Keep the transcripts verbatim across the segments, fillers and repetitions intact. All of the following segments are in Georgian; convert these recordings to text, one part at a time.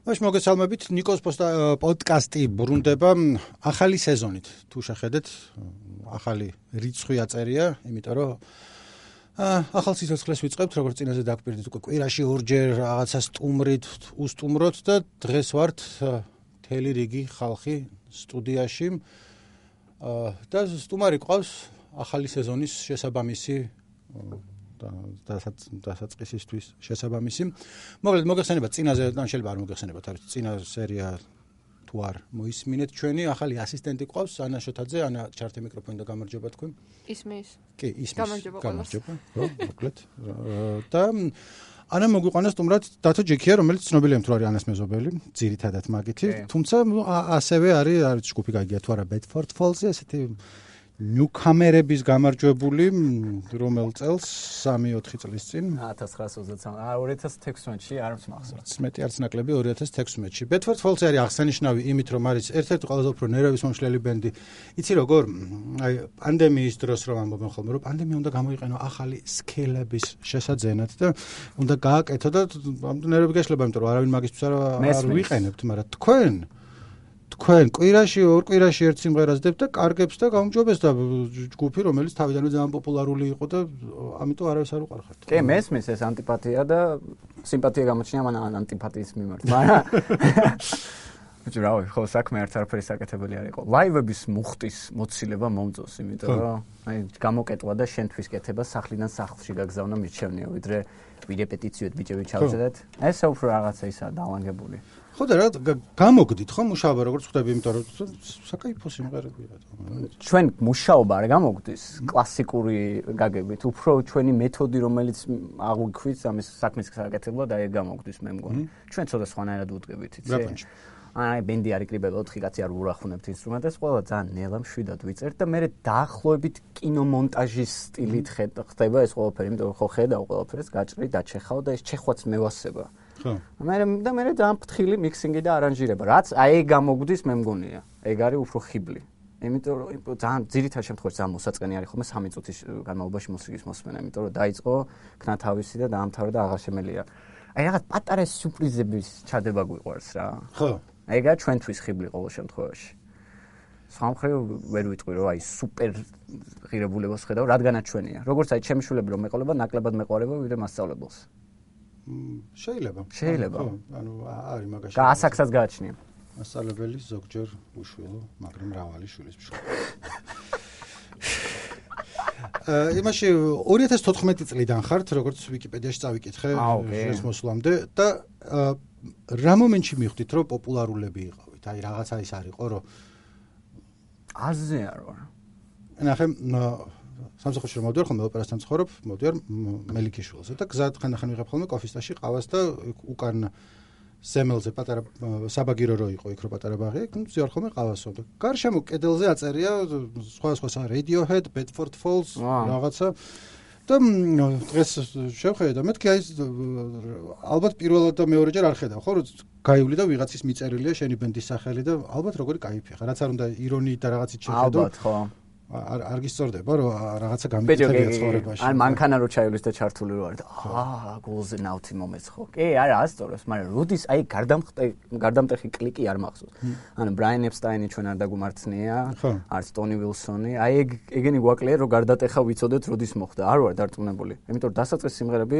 მაშ მოგესალმებით ნიკოს პოდკასტი ბრუნდება ახალი სეზონით. თუ შეხედეთ, ახალი რიცხვი აწერია, იმიტომ რომ ახალ სიცოცხლეს ვიწყებთ, როგორც წინაზე დაგვპირდით, უკვე კვირაში ორჯერ რაღაცა სტუმრით უსტუმროთ და დღეს ვართ მთელი რიგი ხალხი სტუდიაში და სტუმარი ყავს ახალი სეზონის შესაბამისი და დასაწყისისთვის შესაბამისი. მოკლედ მოგეხსენებათ წინაზე, ან შეიძლება არ მოგეხსენებათ, არის წინა სერია თუ არ მოისმინეთ ჩვენი ახალი ასისტენტი ყავს ანა შოთაძე, ანა ჩართე მიკროფონი და გამარჯობა თქვენ. ისმის. კი, ისმის. გამარჯობა. გამარჯობა. ხო, მოკლედ. და ანა მოგვიყვანა სტუმრად დათო ჯექია, რომელიც ცნობილია თუ არის ანას მეზობელი, ძირითადად მაგითი, თუმცა ასევე არის არის ჯგუფი გაგია თუ არა Bedford Falls-ი, ესეთი ნიუკამერების გამარჯვებული, რომელ წელს სამი ოთხი წლის წინ ათას ცხრაასოცდაათი ორი ათას თექვსმეტში არ მახსოვს. მეტი არც ნაკლები ორი ათას თექვსმეტში. Bedford Falls არის აღსანიშნავი იმით, რომ არის ერთ-ერთი ყველაზე უფრო ნერვების მომშლელი ბენდი. იცი როგორ? აი პანდემიის დროს რომ ამბობენ ხოლმე, რომ პანდემია უნდა გამოიყენო ახალი სკილების შესაძენად და უნდა გააკეთო და ნერვები გაშლება, იმიტომ რომ არავინ მაგისთვის არ ვიყენებთ, მაგრამ თქვენ თქვენ კვირაში ორ კვირაში ერთ სიმღერას დებთ და კარგებს და გაუმჯობეს და ჯგუფი რომელიც თავიდანვე ძალიან პოპულარული იყო და ამიტომ არავის არ უყარხართ. კი, მესმის ეს ანტიპათია და სიმპათია გამოჩნია მან ანტიპათიის მიმართ. მაგრამ ბიჭო, რავი, ხო საქმე ერთ არაფერი საკეთებელი არ იყო. ლაივების მუხტის მოცილება მომწონს, იმიტომ რომ აი გამოკეტვა და შენთვის კეთება სახლიდან სახლში გაგზავნა მიჩვენია, ვიდრე ვირეპეტიციოდ ბიჭები ჩავწერეთ. ეს უფრო რაღაცა ისაა დალანგებული. ხო და რა გამოგდით ხო მუშაობა როგორც ხვდები, იმიტომ რომ საკაიფო სიმღერებია. ჩვენ მუშაობა არ გამოგდის კლასიკური გაგებით, უფრო ჩვენი მეთოდი რომელიც აღვიქვით ამის საქმის საკეთებლად და ეგ გამოგდის მე მგონი. ჩვენ ცოტა სხვანაირად ვუდგებით, იცი? აი ბენდი არ იკრიბება ოთხი კაცი არ ურახუნებთ ინსტრუმენტებს, ყველა ძალიან ნელა მშვიდად ვიწერთ და მე დაახლოებით კინომონტაჟის სტილით ხდება ეს ყველაფერი, იმიტომ რომ ხო ხედავ ყველაფერს, გაჭრი, დაჩეხავ და ეს ჩეხვაც მევასება. ხო. მე და მე ძალიან ფრთხილი მიქსინგი და არანჟირება, რაც აი ეგ გამოგდის მე მგონია. ეგ არის უფრო ხიბლი. იმიტომ რომ ძალიან ძირითად შემთხვევაში ძალიან მოსაწყენი არის ხოლმე სამი წუთის განმავლობაში მუსიკის მოსმენა, იმიტომ რომ დაიწყო ქნათავისი და დაამთავრა და აღარ შემელია. აი რაღაც პატარა სიურპრიზების ჩადება გვიყვარს რა. ხო. ეგა ჩვენთვის ხიბლი ყოველ შემთხვევაში. სხვა მხრივ ვერ ვიტყვი რომ აი სუპერ ღირებულებას ხედავ, რადგანაც ჩვენია. როგორც აი ჩემი შვილები რომ მეყოლება, ნაკლებად მეყარება ვიდრე მასწავლებელს. შეიძლება. შეიძლება. ანუ არის მაგაში. და ასაკსაც გააჩნია. მასწავლებელი ზოგჯერ უშვილო, მაგრამ მრავალი შვილის მშობელი. იმაში ორი ათას თოთხმეტი წლიდან ხართ, როგორც ვიკიპედიაში წავიკითხე ეს მოსვლამდე და რა მომენტში მიხვდით, რომ პოპულარულები იყავით? აი რაღაცა ის არისო, რომ აზე არ ვარ. ნახე, სამსახურში რომ მოვდივარ, ხოლმე ოპერასთან ცხოვრობ, მოვდივარ მელიქიშვილზე და გზად ხანდახან ვიღებ ხოლმე კოფისტაში ყავას და უკან სემელზე პატარა საბაგირო რო იყო, იქ რო პატარა ბაღი, იქ ვზიარ ხოლმე ყავასო და გარშემო კედელზე აწერია სხვა სხვა Radiohead, Bedford Falls, რაღაცა და დღეს შევხედე და მეთქი აი ალბათ პირველად და მეორეჯერ არ ხედავ, ხო, რომ გაივლი და ვიღაცის მიწერილია შენი ბენდის სახელი და ალბათ როგორი კაიფია, რაც არ უნდა ირონიით და რაღაცით შეხედო. ალბათ, ხო. არ არ გისწორდება რომ რაღაცა გამიკეთებია ცხოვრებაში. ან მანქანა რო ჩაივლის და ჩართული რო არის და აა გულზე ნავთი მომეც ხო. კი, არა ასწორებს, მაგრამ როდის აი გარდამტეხი კლიკი არ მახსოვს. ანუ ბრაიან ეპსტაინი ჩვენ არ დაგუმართნია, არც ტონი ვილსონი. აი ეგ ეგენი გვაკლია რომ გარდატეხა ვიცოდეთ როდის მოხდა. არ ვარ დარწმუნებული. იმიტომ რომ დასაწყის სიმღერები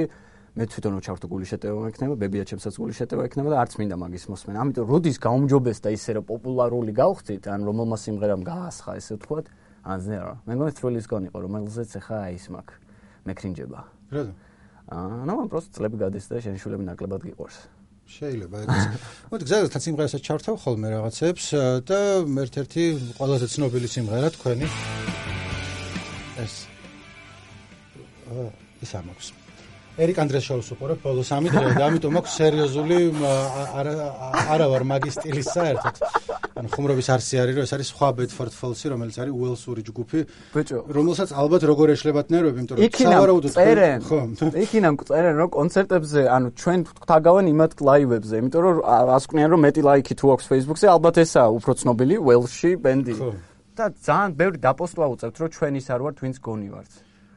მე თვითონ რო ჩავთო გული შეტევა ექნება, ბებია ჩემსაც გული შეტევა ექნება და არც მინდა მაგის მოსმენა. ამიტომ როდის გაუმჯობეს და ისე რომ პოპულარული გავხდით, ან რომელმა სიმღერამ გაასხა ესე ვთქვათ, აზნე რა. მე მგონი თრილის გონი იყო, რომელზეც ახლა აი ის მაქვს. მეკრინჯება. რატო? აა, ნუ მან პროსტ წლები გადის და შენ შულები ნაკლებად გიყვარს. შეიძლება ეგეც. მოდი გზადაგთან სიმღერასაც ჩავთავ ხოლმე რაღაცებს და ერთ-ერთი ყველაზე ცნობილი სიმღერა თქვენი ეს აა ის ამაქვს. ერიკ ანდრეს შოუს უყურებ ბოლო სამი დღე და ამიტომ მაქვს სერიოზული არა არა ვარ მაგის სტილის საერთოდ. ანუ ხუმრობის არსი არის რომ ეს არის სხვა Bedford Falls-ი, რომელიც არის უელსური ჯგუფი, რომელსაც ალბათ როგორ ეშლებათ ნერვები, იმიტომ რომ სავარაუდოდ ხო. იქინამ წერენ რომ კონცერტებზე, ანუ ჩვენ ვთაგავენ იმათ ლაივებზე, იმიტომ რომ ასკვნიან რომ მეტი ლაიქი თუ აქვს Facebook-ზე, ალბათ ესაა უფრო ცნობილი უელსში ბენდი. და ძალიან ბევრი დაპოსტვა უწევთ რომ ჩვენ ის არ ვართ, ვინც გონი ვართ.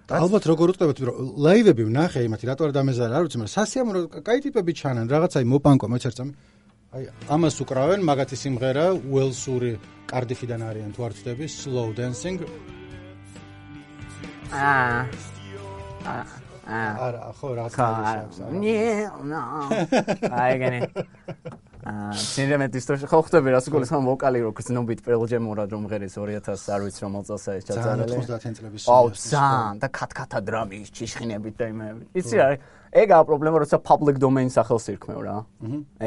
ალბათ როგორ უწევთ, რომ ლაივები ვნახე იმათი, რატო არ დამეზარა, არ ვიცი, მაგრამ სასიამოვნო კაი ტიპები ჩანან, რაღაცაი მოპანკო, მოიცერწამი. აი ამას უკრავენ მაგათი სიმღერა უელსური კარდიფიდან არიან თუ არ ვწდები Slow Dancing აა აა არა ხო რაღაცა ის აქვს აი ეგენი აა სინემატ ისტორიაში ხო ხდება რას გოლის ხომ ვოკალი რო გზნობით Pearl Jam ორად რომ ღერის ორი ათას არ ვიცი რომ წელსა ის ჩაწერილი ოცდაათი წლების აუ ზან და ქათქათა დრამის ჭიშხინებით და იმები იცი რა ეგაა პრობლემა როცა public domain სახელს ირქმევ რა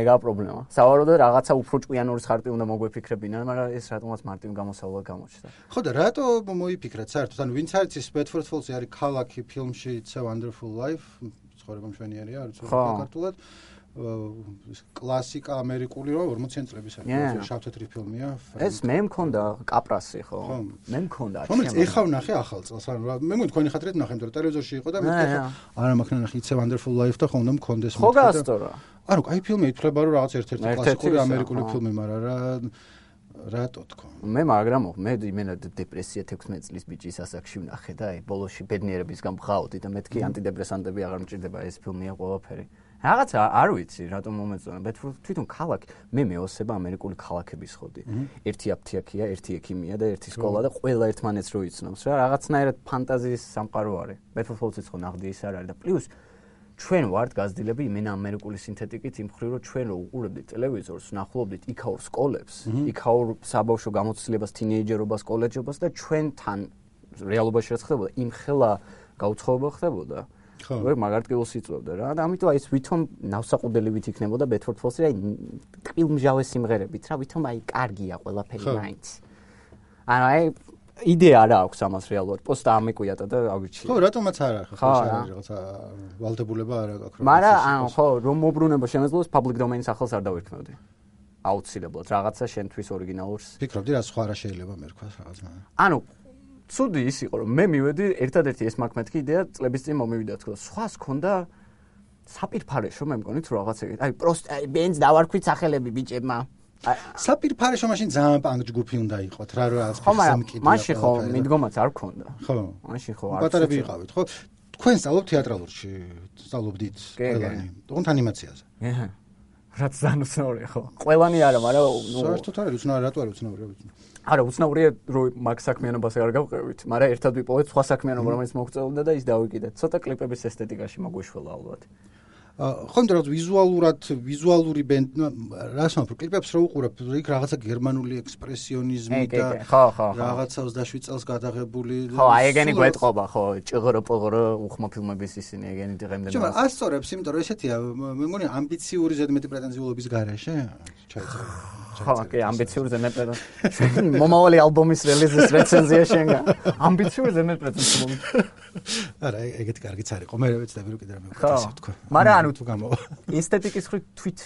ეგაა პრობლემა სავარაუდოდ რაღაცა უფრო ჭკვიანური ხარტი უნდა მოგვეფიქრებინა მაგრამ ეს რატომაც მარტივ გამოსავალად გამოჩნდა ხო და რატო მოიფიქრეთ საერთოდ ანუ ვინც არის ის Bedford Falls-ი არის ქალაქი ფილმში It's a Wonderful Life ცხოვრება მშვენიერია არის ქართულად კლასიკა ამერიკული რა ორმოციანი წლების არის შავ-თეთრი ფილმია ეს მე მქონდა კაპრასი ხო მე მქონდა რომელიც ეხა ვნახე ახალ წელს ანუ მე მგონი თქვენი ხათრით ვნახე იმიტომ რომ ტელევიზორში იყო და მე არა მაქვს ნახე It's a Wonderful Life და ხომ უნდა მქონდეს ხო გასწორა ანუ აი ფილმი ითვლება რომ რაღაც ერთ-ერთი კლასიკური ამერიკული ფილმი მაგრამ რა რატო თქო მე მაგრამ მე იმენა დეპრესია თექვსმეტ წლის ბიჭის ასაკში ვნახე და აი ბოლოში ბედნიერებისგან ვღავდი და მეთქი ანტიდეპრესანტები აღარ მჭირდება ეს ფილმია ყველაფერი რაღაცა არ ვიცი რატომ მომეწონა ბედფორდ თვითონ ქალაქი მე მეოსება ამერიკული ქალაქების ხოდი ერთი აფთიაქია ერთი ექიმია და ერთი სკოლა და ყველა ერთმანეთს რო იცნობს რა რაღაცნაირად ფანტაზიის სამყარო არის ბედფორდ ფოლციც ხო ნახდი ის არ არის და პლუს ჩვენ ვართ გაზრდილები იმენა ამერიკული სინთეტიკით იმ მხრივ რომ ჩვენ რო უყურებდით ტელევიზორს ვნახულობდით იქაურ სკოლებს იქაურ საბავშვო გამოცდილებას თინეიჯერობას კოლეჯობას და ჩვენთან რეალობაში რაც ხდებოდა იმ ხელა გაუცხოება ხდებოდა ხო მაგარტკილოს იწვევდა რა და ამიტომ აი ეს ვითომ ნავსაყუდელივით იქნებოდა Bedford Falls-ი აი ტყილმჟავე სიმღერებით რა ვითომ აი კარგია ყველაფერი მაინც ანუ აი იდეა რა აქვს ამას რეალურად პოსტა ამეკვიატა და აგვიჩი ხო რატომაც არა ხო რაღაცა ვალდებულება არა აქვს მაგრამ ანუ ხო რომ მოbrუნება შემეძლოს public domain სახელს არ დავირქმევდი აუცილებლად რაღაცა შენთვის ორიგინალურს ფიქრობდი რა სხვა რა შეიძლება მერქვას რაღაცა ანუ ცუდი ის იყო რომ მე მივედი ერთადერთი ეს მაქვს მეთქი იდეა წლების წინ მომივიდა თქო სხვას ქონდა საპირფარეშო მე მგონი თუ რაღაც ეგეთ აი პროსტ აი ბენს დავარქვით სახელები ბიჭებმა საპირფარეშო მაშინ ძალიან პანკ ჯგუფი უნდა იყოთ რა რა სამკიდია მაშინ ხო მიდგომაც არ ქონდა ხო მაშინ ხო არ პატარები იყავით ხო თქვენ სწავლობთ თეატრალურში სწავლობდით ყველანი თუნდაც ანიმაციაზე აჰა რაც ზანუსნაურია ხო ყველანი არა მაგრამ ნუ საერთოდ არის უცნაური რატო არის უცნაური არა უცნაურია რომ მაგ საქმიანობას არ გავყევით მაგრამ ერთად ვიპოვეთ სხვა საქმიანობა რომელიც მოგწეულდა და ის დავიკიდეთ ცოტა კლიპების ესთეტიკაში მოგვიშველა ალბათ ხო იმიტომ რომ ვიზუალურად ვიზუალური ბენდ რას ვამბობ კლიპებს რო უყურებ იქ რაღაცა გერმანული ექსპრესიონიზმი და რაღაცა ოცდაშვიდ წელს გადაღებული ხო აი ეგენი გვეტყობა ხო ჭიღრო პოღრო უხმა ფილმების ისინი ეგენი დღემდე მაგრამ ასწორებს იმიტომ რომ ესეთია მე მგონი ამბიციური ზედმეტი პრეტენზიულობის გარეშე ჩაიწერა ხო კი ამბიციური ზედმეტი მომავალი ალბომის რელიზის რეცენზია შენგა ამბიციური ზედმეტი პრეტენზიულობა არა ეგეთი კარგიც არის ხო მე ვეცდები რომ კიდე რამე ვქეთესო თქო მაგრამ ანუ თუ გამო ესთეტიკის ხრი თვით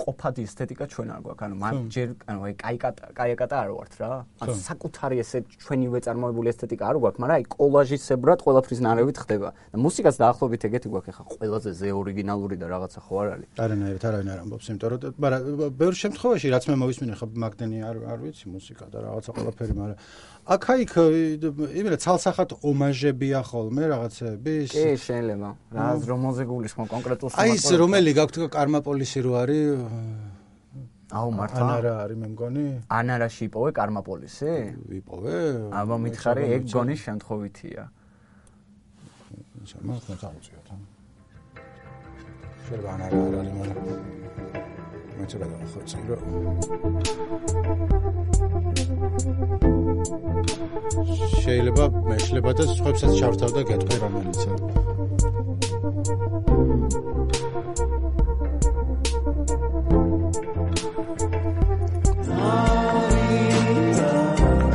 ყოფადი ესთეტიკა ჩვენ არ გვაქვს ანუ მაგ ჯერ ანუ აი კაიკატა კაიკატა არ ვართ რა ანუ საკუთარი ესე ჩვენივე წარმოებული ესთეტიკა არ გვაქვს მაგრამ აი კოლაჟისებრად ყველაფრის ნარევით ხდება და მუსიკაც დაახლოებით ეგეთი გვაქვს ხა ყველაზე ზე ორიგინალური და რაღაცა ხო არ არის არანაირად არავინ არ ამბობს იმიტომ რომ მაგრამ ბევრ შემთხვევაში რაც მე მოვისმინე ხა მაგდენი არ არ ვიცი მუსიკა და რაღაცა ყველაფერი მაგრამ აქ-აიქ იმენა ცალსახად ომაჟებია ხოლმე რაღაცების კი შეიძლება რაღაც რომოზე გულისხმობ კონკრეტულ აი ეს რომელი გაქვთ კარმაპოლისი რო არის აუ მართლა ანარა არის მე მგონი ანარაში იპოვე კარმაპოლისი ვიპოვე აბა მითხარი ეგ გონის შემთხვევითია შემო ხო წავუწიოთ შეიძლება ანარა არ არის მაგრამ მეც რა დავხოცი რომ შეიძლება მეშლება და სხვებსაც ჩავთავ და გეტყვი რომელიცა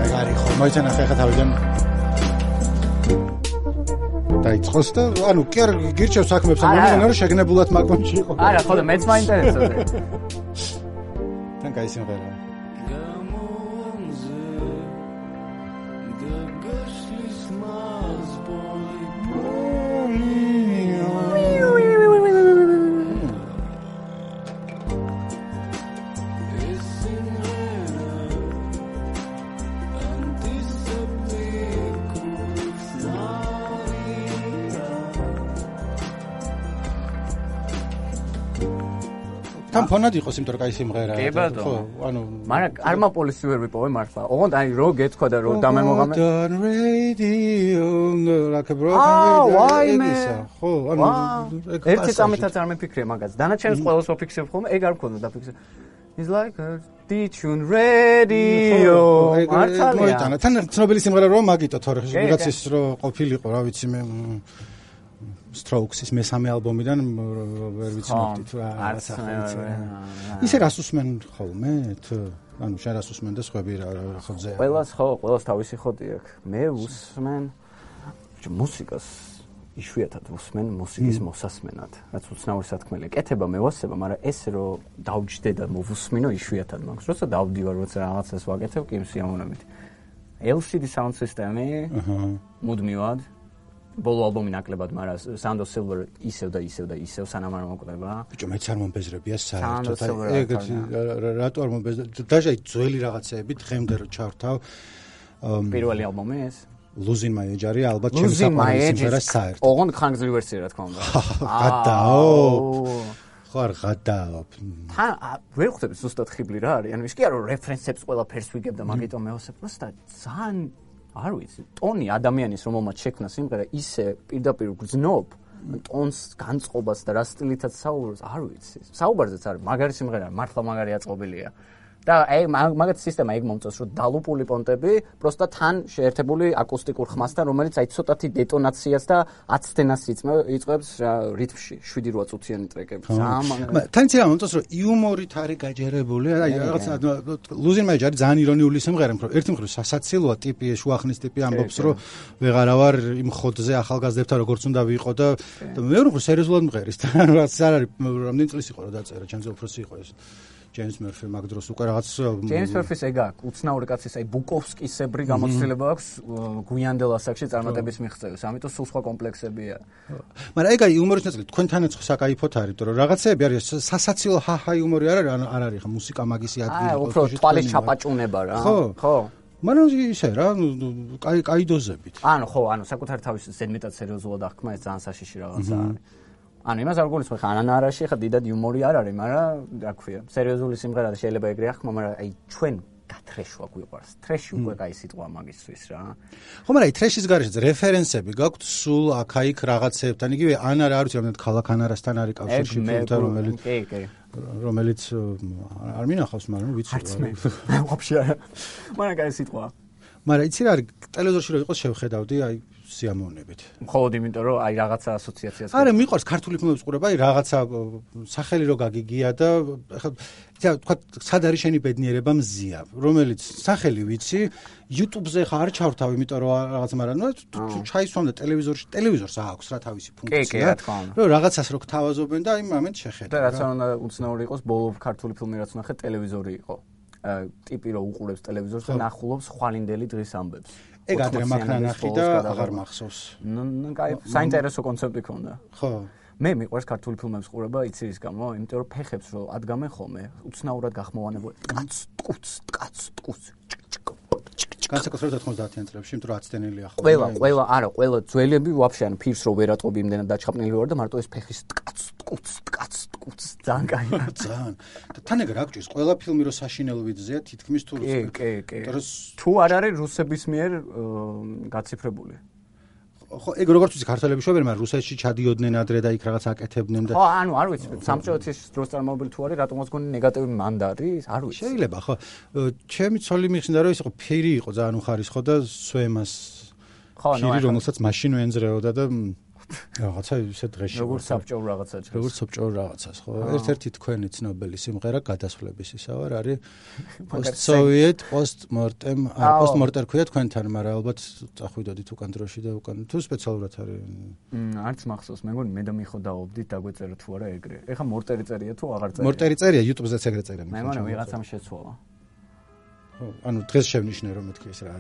ეგარი ხო მოიცა ნახე ხა თავიდან დაიწყოს და ანუ კი არ გირჩევ საქმეებს ამ მომენტში რომ შეგნებულად მაგონში იყო არა ხო და მეც მაინტერესებდა თან კაი სიმღერაა თან ფონად იყოს, იმიტომ რომ კაი სიმღერაა. ხო, ანუ მაგრამ არ მაპოლისი ვერ ვიპოვე მართლა. ოღონდ აი რო გეთქვა და რო დამემოღამე. ხო, ანუ ერთი წამითაც არ მეფიქრე მაგას. დანარჩენს ყველას ვაფიქსებ ხოლმე, ეგ არ მქონდა დაფიქსე. It's like a D-Tune radio. მართალია. თან ცნობილი სიმღერა რო მაგიტო თორე ვიღაცის რო ყოფილიყო, რა ვიცი მე Strokes-ის მესამე ალბომიდან ვერ ვიცნობდი თუ რა სახელიც. ისე რას უსმენ ხოლმე თუ ანუ შენ რას უსმენ და სხვები რა ხოძე. ყველას ხო, ყველას თავისი ხოდი აქვს. მე უსმენ მუსიკას იშვიათად უსმენ მუსიკის მოსასმენად. რაც უცნაური სათქმელია. კეთება მე ვასება, მაგრამ ეს რო დავჯდე და მოვუსმინო იშვიათად მაქვს. როცა დავდივარ, როცა რაღაცას ვაკეთებ, კი სიამოვნებით. ელ სი დი sound system-ი მუდმივად ბოლო ალბომი ნაკლებად, მაგრამ Sound of Silver ისევ და ისევ და ისევ სანამ არ მოკვდება. ბიჭო, მეც არ მომბეზრებია საერთოდ. ეგეთი რატო არ მომბეზრებია? დაჟე ძველი რაღაცეები დღემდე რო ჩავთავ. პირველი ალბომი ეს Losing My Age არის ალბათ ჩემი საყვარელი სიმღერა საერთოდ. ოღონდ ხანგრძლივი ვერსია რა თქმა უნდა. გადაო. ხო არ გადაო. თან ვერ ხვდები ზუსტად ხიბლი რა არის. ანუ ის კი არა რომ რეფერენსებს ყველაფერს ვიგებ და მაგიტომ მეოსებ. просто ძალიან არ ვიცი, ტონი ადამიანის რომელმაც შექმნა სიმღერა ისე პირდაპირ გძნობ, ტონს განწყობას და რა სტილითაც საუბრობს, არ ვიცი. საუბარზეც არის, მაგარი სიმღერა, მართლა მაგარი აწყობილია. და აი მაგათ სისტემა ეგ მომწონს, რომ დალუპული პონტები, просто თან შეერთებული აკუსტიკურ ხმასთან, რომელიც აი ცოტათი დეტონაციას და აცდენას იწვევს რითმში, შვიდი რვა წუთიანი ტრეკები. ძალიან თან ცილა მომწონს, რომ იუმორით არის გაჯერებული, აი რაღაცა Losing My Age არის ძალიან ირონიული სიმღერა, რომ ერთი მხრივ სასაცილოა ტიპი, შუახნის ტიპი ამბობს, რომ ვეღარა ვარ იმ ხოდზე ახალგაზრდებთან როგორც უნდა ვიყო და მეორე მხრივ სერიოზულად მღერის. ანუ რაც არ არის, რამდენი წლის იყო რა დაწერა, ჩემზე უფროსი იყო ეს. James Murphy მაგ დროს უკვე რაღაც James Murphy-ს ეგ აქვს, უცნაური კაცის, აი ბუკოვსკისებრი გამოცდილება აქვს გვიანდელ ასაკში წარმატების მიღწევის, ამიტომ სულ სხვა კომპლექსებია. მაგრამ ეგ აი იუმორის ნაწილი თქვენთანაც საკაიფოთ არის, იმიტომ რომ რაღაცეები არის სასაცილო ჰაჰა იუმორი არ არის, არ არის ხა მუსიკა მაგისი ადგილი. აი უფრო თვალის ჩაპაჭუნება რა. ხო. მაგრამ ისე რა, კაი კაი დოზებით. ანუ ხო, ანუ საკუთარი თავის ზედმეტად სერიოზულად აღქმა ეს ძალიან საშიში რაღაცა არის. ანუ იმას არ გულისხმობ, ხა ანანარაში ხა დიდად იუმორი არ არის, მაგრამ რა ქვია, სერიოზული სიმღერა და შეიძლება ეგრე ახმა, მაგრამ აი ჩვენ გათრეშვა გვიყვარს. ტრეში უკვე კაი სიტყვა მაგისთვის რა. ხო, მაგრამ აი ტრეშის გარეშეც რეფერენსები გაქვთ სულ აქ-აიქ რაღაცეებთან, იგივე ანარა არ ვიცი, რამდენად ქალაქ ანარასთან არის კავშირში ფილმთან, რომელიც კი, კი. რომელიც არ მინახავს, მაგრამ ვიცი რა. ვაფშე არა. მაგრამ კაი სიტყვა. მაგრამ იცი რა არის, ტელევიზორში რო იყოს შევხედავდი, აი სიამოვნებით. მხოლოდ იმიტომ რომ აი რაღაცა ასოციაციას. არა, მიყვარს ქართული ფილმების ყურება, აი რაღაცა სახელი რო გაგიგია და ეხლა თქვა სად არის შენი ბედნიერება მზია, რომელიც სახელი ვიცი, YouTube-ზე ხა არ ჩავრთავ, იმიტომ რომ რაღაც მაგრამ ნუ ჩაისვამ და ტელევიზორში, ტელევიზორს აქვს რა თავისი ფუნქცია. კი, კი, რა თქმა უნდა. რომ რაღაცას რო გთავაზობენ და აი მომენტ შეხედა. და რაც არ უნდა უცნაური იყოს, ბოლო ქართული ფილმი რაც ნახე, ტელევიზორი იყო. ტიპი რო უყურებს ტელევიზორს და ნახულობს ხვალინდელი დღის ამბებს. ეგ ადრე მაქნა ნახი და აღარ მახსოვს. ნუ კაი, საინტერესო კონცეპტი ქონდა. ხო. მე მიყვარს ქართული ფილმების ყურება იცი რის გამო, იმიტომ რომ ფეხებს რო ადგამენ ხოლმე, უცნაურად გახმოვანებული. ტკაც, ტკუც, ტკაც, ტკუც. განსაკუთრებით ოთხმოცდაათიან წლებში, იმიტომ რომ აცდენილია ხოლმე. ყველა, ყველა, არა, ყველა ძველები ვაფშე ან ფირს რო ვერ ატყობი იმდენად დაჩხაპნილი ვარ და მარტო ეს ფეხის ტკაც, ტკუც, ტკაც, ტკუც, ძალიან კაია. ძალიან. და თან ეგ რა გჭირს, ყველა ფილმი რო საშინელ ვიძზეა, თითქმის თუ კი, კი, კი. თუ არ არის რუსების მიერ გაციფრებული. ხო, ეგ როგორც ვიცი, ქართველები შევერენ, მაგრამ რუსეთში ჩადიოდნენ ადრე და იქ რაღაც აკეთებდნენ და ხო, ანუ არ ვიცი, სამწეოთის დროს წარმოვებული თუ არის, რატომაც გონი ნეგატივი მანდ არის, არ ვიცი. შეიძლება, ხო. ჩემი ცოლი მიხსნა რომ ის იყო ფერი იყო ძალიან უხარისხო და სვემას ხო, ნუ ფერი რომელსაც მაშინ ვენძრეოდა და რაღაცა ისე დღეში როგორ საბჭოურ რაღაცა ჭრეს. როგორ საბჭოურ რაღაცას, ხო. ერთ-ერთი თქვენი ცნობილი სიმღერა გადასვლების ისა ვარ არის post-soviet post-mortem, post-mortem ქვია თქვენთან, მაგრამ ალბათ წახვიდოდით უკან დროში და უკან თუ სპეციალურად არის. არც მახსოვს, მე მგონი მე და მიხო დაობდით, დაგვეწერა თუ არა ეგრე. ეხლა მორტერი წერია თუ აღარ წერია? მორტერი წერია, YouTube-ზეც ეგრე წერია. მე მგონი ვიღაცამ შეცვალა. ხო, ანუ დღეს შევნიშნე რომ მეთქი ეს რა.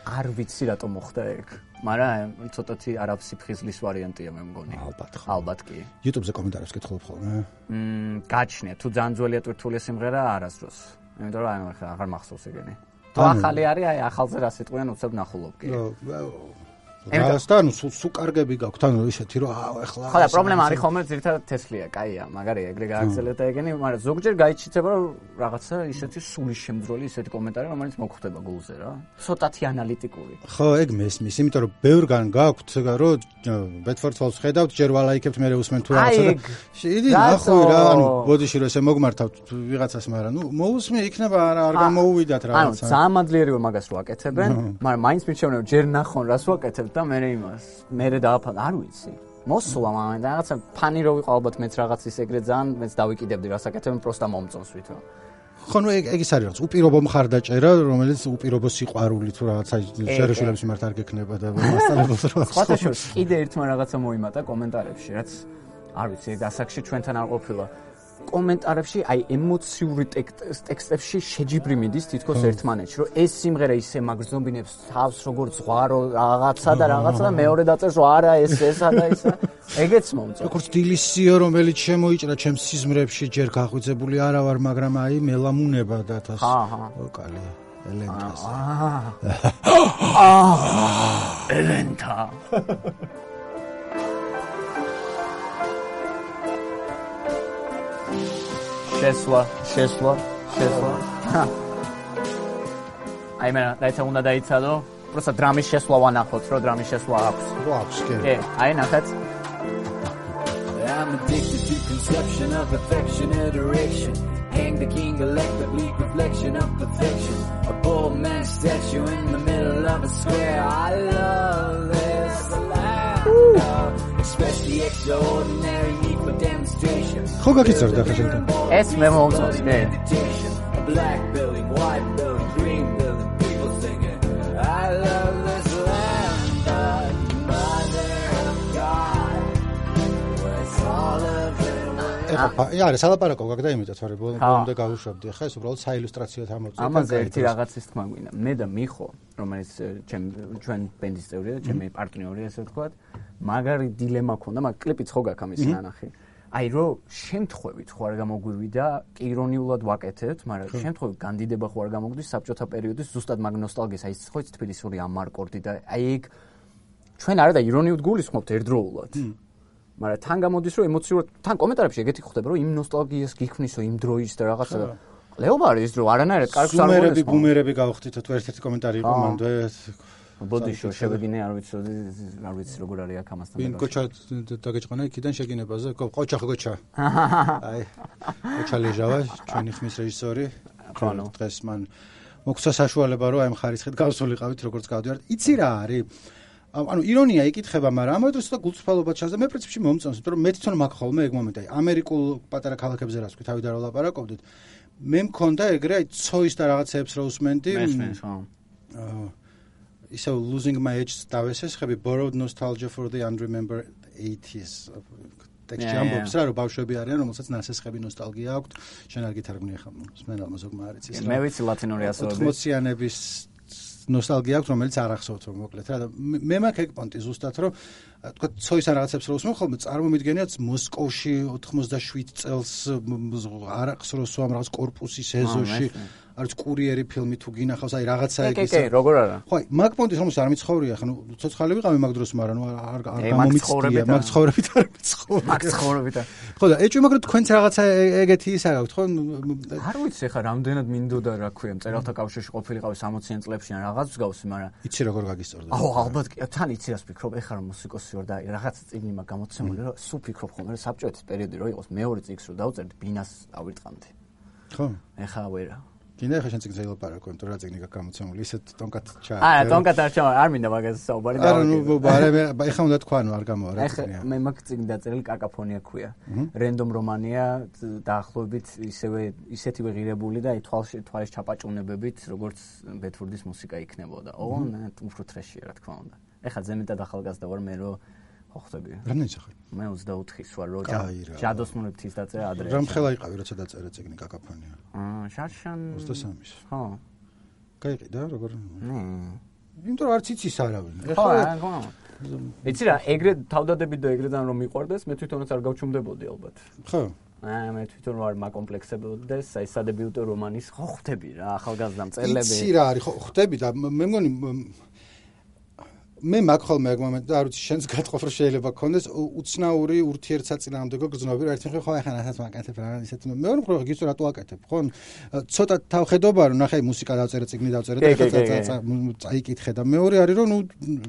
არ ვიცი რატომ მოხდა ეგ, მაგრამ ცოტათი არაფსიფხიზლის ვარიანტია მე მგონი. ალბათ ხო. ალბათ კი. YouTube-ზე კომენტარებს კითხულობ ხოლმე. მმ, გაჩნია, თუ ძალიან ძველია ტვირთული სიმღერა არასდროს. იმიტომ რომ აი ახლა აღარ მახსოვს ეგენი. თუ ახალი არის, აი ახალზე რა სიტყვიან უცებ ნახულობ კი. რას და ნუ სულ კარგები გაქვთ ანუ ისეთი რომ ახლა ხო და პრობლემა არის ხოლმე ძირითადად თესლია, კაია, მაგარია, ეგრე გააგრძელეთ და ეგენი, მაგრამ ზოგჯერ გაიჩიცება რომ რაღაცა ისეთი სულის შემძროლი ისეთი კომენტარი, რომელიც მოხვდება გულზე რა. ცოტათი ანალიტიკური. ხო, ეგ მესმის, იმიტომ რომ ბევრგან გაქვთ რომ ბეტფორდს ხედავთ, ჯერ ვალაიქებთ, მე უსმენ თუ რაღაცა და იდი ნახავი რა, ანუ ბოდიში რომ ესე მოგმართავთ ვიღაცას, მაგრამ ნუ მოусმე იქნება არა არ გამოუვიდათ რაღაცა. ანუ ძალიან მადლიერი ვარ მაგას რო აკეთებენ, მაგრამ მაინც მიჩვენე რომ ჯერ ნახონ რას ვაკეთებ და მე იმას მე დააფან არ ვიცი მოსულა მაგრამ რაღაცა ფანი რო ვიყო ალბათ მეც რაღაც ის ეგრე ძალიან მეც დავიკიდებდი რასაკეთებენ პროსტა მომწონს ვითო ხო ნუ ეგ ის არის რაღაც უპირობო მხარდაჭერა რომელიც უპირობო სიყვარული თუ რაღაცა შერეშულების მიმართ არ გექნება და მასწავლებელს რა სხვა შორს კიდე ერთმა რაღაცა მოიმატა კომენტარებში რაც არ ვიცი ეგ ასაკში ჩვენთან არ ყოფილა კომენტარებში აი ემოციური ტექსტებში შეჯიბრი მიდის თითქოს ერთმანეთში რომ ეს სიმღერა ისე მაგრძნობინებს თავს როგორც ზღვარო რაღაცა და რაღაცა და მეორე დაწერს რომ არა ეს ესა და ისა ეგეც მომწონს როგორც დილისიო რომელიც შემოიჭრა ჩემს სიზმრებში ჯერ გაღვიძებული არა ვარ მაგრამ აი მელამუნება და თას ვოკალი ელენტას აა ელენტა შესვლა, შესვლა, შესვლა. აი მე დაიცა უნდა დაიცადო, просто დრამის შესვლა ვანახოთ, რომ დრამის შესვლა აქვს. რო აქვს, კი. კი, აი ნახეთ. I'm addicted to conception of affection adoration. Hang the king electric bleak reflection of perfection. A bold man statue in the middle of a square. I love this land. Express the extraordinary need for demonstration. ხო გაგიწევდა ხა შენთან. ეს მე მომწონს, მე. A black building, white building, green building, people singing. I love this land, but mother of God. Where's all of it? ეხა არა სალაპარაკო გაგდა იმითაც ვარ ბოლომდე გავუშვებდი ახლა ეს უბრალოდ საილუსტრაციო თამოწევ ამაზე ერთი რაღაცის თქმა გვინდა მე და მიხო რომელიც ჩემ ჩვენ ბენდის წევრია და ჩემი პარტნიორია ესე ვთქვათ მაგარი დილემა ქონდა მაგ კლიპიც ხო გაქვს ამის ნანახი აი რო შემთხვევით ხო არ გამოგვივიდა ირონიულად ვაკეთებთ მაგრამ შემთხვევით განდიდება ხო არ გამოგვდის საბჭოთა პერიოდის ზუსტად მაგ ნოსტალგიას აი ხო თბილისური ამარკორდი და აი ეგ ჩვენ არა და ირონიულად გულისხმობთ ერთდროულად მაგრამ თან გამოდის რომ ემოციურად თან კომენტარებში ეგეთი ხდება რომ იმ ნოსტალგიას გიქმნისო იმ დროის და რაღაცა და ლეობა არის ის დრო არანაირად კარგს არ გონებს ბუმერები ბუმერები გავხდით თუ ერთ-ერთი კომენტარი იყო მანდ ბოდიშო შევეგინე არ ვიცი არ ვიცი როგორ არის აქ ამასთან ვინ კოჩა დაგეჭყანა იქიდან შეგინებაზე კოჩა ხო კოჩა აი კოჩა ლეჟავა ჩვენი ხმის რეჟისორი დღეს მან მოგცა საშუალება რომ აი მხარისხეთ გავსულიყავით როგორც გავდივართ იცი რა არის ანუ ირონია იკითხება, მაგრამ ამავე დროს და გულწრფელობა ჩანს და მე პრინციპში მომწონს, იმიტომ რომ მე თვითონ მაქვს ხოლმე ეგ მომენტი, აი ამერიკულ პატარა ქალაქებზე რას ვთქვი, თავიდან რა ვლაპარაკობდით. მე მქონდა ეგრე აი ცოის და რაღაცეებს რა უსმენდი. მესმის, ხო. აა ისე losing my age დავესეს, ხები borrowed nostalgia for the unremembered eighties. ტექსტი ამბობს რა, რომ ბავშვები არიან, რომელსაც ნასესხები ნოსტალგია აქვთ. შენ არ გითარგმნი ახლა, სმენელმა ზოგმა არ იცის რა. მე ვიცი ლათინური ასოები. ოთხმოციანების ნოსტალგია აქვს, რომელიც არ ახსოვთ რომ მოკლედ რა და მე მაქვს ეგ პონტი ზუსტად რომ თქვა ცოის ან რაღაცებს რო უსმენ ხოლმე წარმომიდგენიათ მოსკოვში ოთხმოცდაშვიდ წელს არაყს რო სვამ რაღაც კორპუსის ეზოში არის კურიერი ფილმი თუ გინახავს აი რაღაცა ეგ ის კი კი როგორ არა ხო აი მაგ პონტის რომელსაც არ მიცხოვრია ხა ნუ ცოცხალი ვიყავი მაგ დროს მაგრამ ნუ არ არ გამომიწდია მაგ ცხოვრებით არ მიცხოვრია მაგ ცხოვრებით ხო და ეჭვი მაგრამ თქვენც რაღაცა ეგეთი ისა გაქვთ ხო არ ვიცი ხა რამდენად მინდოდა რა ქვია მწერალთა კავშირში ყოფილიყავი სამოციან წლებში ან რაღაც მსგავსი მაგრამ იცი როგორ გაგისწორდა აუ ალბათ კი თან იცი რას ფიქრობ ეხლა რომ მუსიკოსი ვარ და რაღაცა წიგნი მაგ გამოცემული რომ სულ ფიქრობ ხოლმე რომ საბჭოეთის პერიოდი რო იყოს მეორე წიგნს რო დავწერდი ბინას ავირტყამდი ხო ეხლა ვერა გინდა ხა შენ წიგნზე ელაპარაკო იმიტომ რა წიგნი გაქვს გამოცემული ისეთ ტონკად ჩა აა ტონკად არ ჩა არ მინდა მაგას საუბარი და არა ნუ ბარემ ეხა უნდა თქვა ნუ არ გამოვა რა წიგნია ეხა მე მაგ წიგნი დაწერილი კაკაფონია ქვია რენდომ რომანია დაახლოებით ისევე ისეთივე ღირებული და აი თვალში თვალის ჩაპაჭუნებებით როგორც ბეთფორდის მუსიკა იქნებოდა ო უფრო ტრეშია რა თქმა უნდა ეხა ზემეთად ახალგაზრდა ვარ მე რო ხო ხტები რამდენი სახე მე ოცდაოთხის ვარ რო ჯადოსნურების დაწერა ადრე რამხელა იყავი როცა დაწერე წიგნი კაკაფონია აა შარშან ოცდასამის ხო გაიყიდა როგორ ნე იმიტომ რომ არც იცის არავინ ხო ხო იცი რა ეგრე თავდადებით და ეგრედან რომ მიყვარდეს მე თვითონაც არ გავჩუმდებოდი ალბათ ხო აა მე თვითონ ვარ მაკომპლექსებოდეს აი სადებიუტო რომანის ხო ხტები რა ახალგაზრდა მწერლები იცი რა არის ხო ხტები და მე მგონი მე მაგ ხოლმე ეგ მომენტი და არ ვიცი შენს გათხოვ რომ შეიძლება გქონდეს უცნაური ურთიერთსაწინააღმდეგო გრძნობები რა ერთი მხრივ ხო ახლა რასაც ვაკეთებ რა ისეთ მეორე მხრივ გიცო რატო ვაკეთებ ხო ცოტა თავხედობა რომ ნახე მუსიკა დავწერე წიგნი დავწერე და ეხლა წაიკითხე და მეორე არის რომ ნუ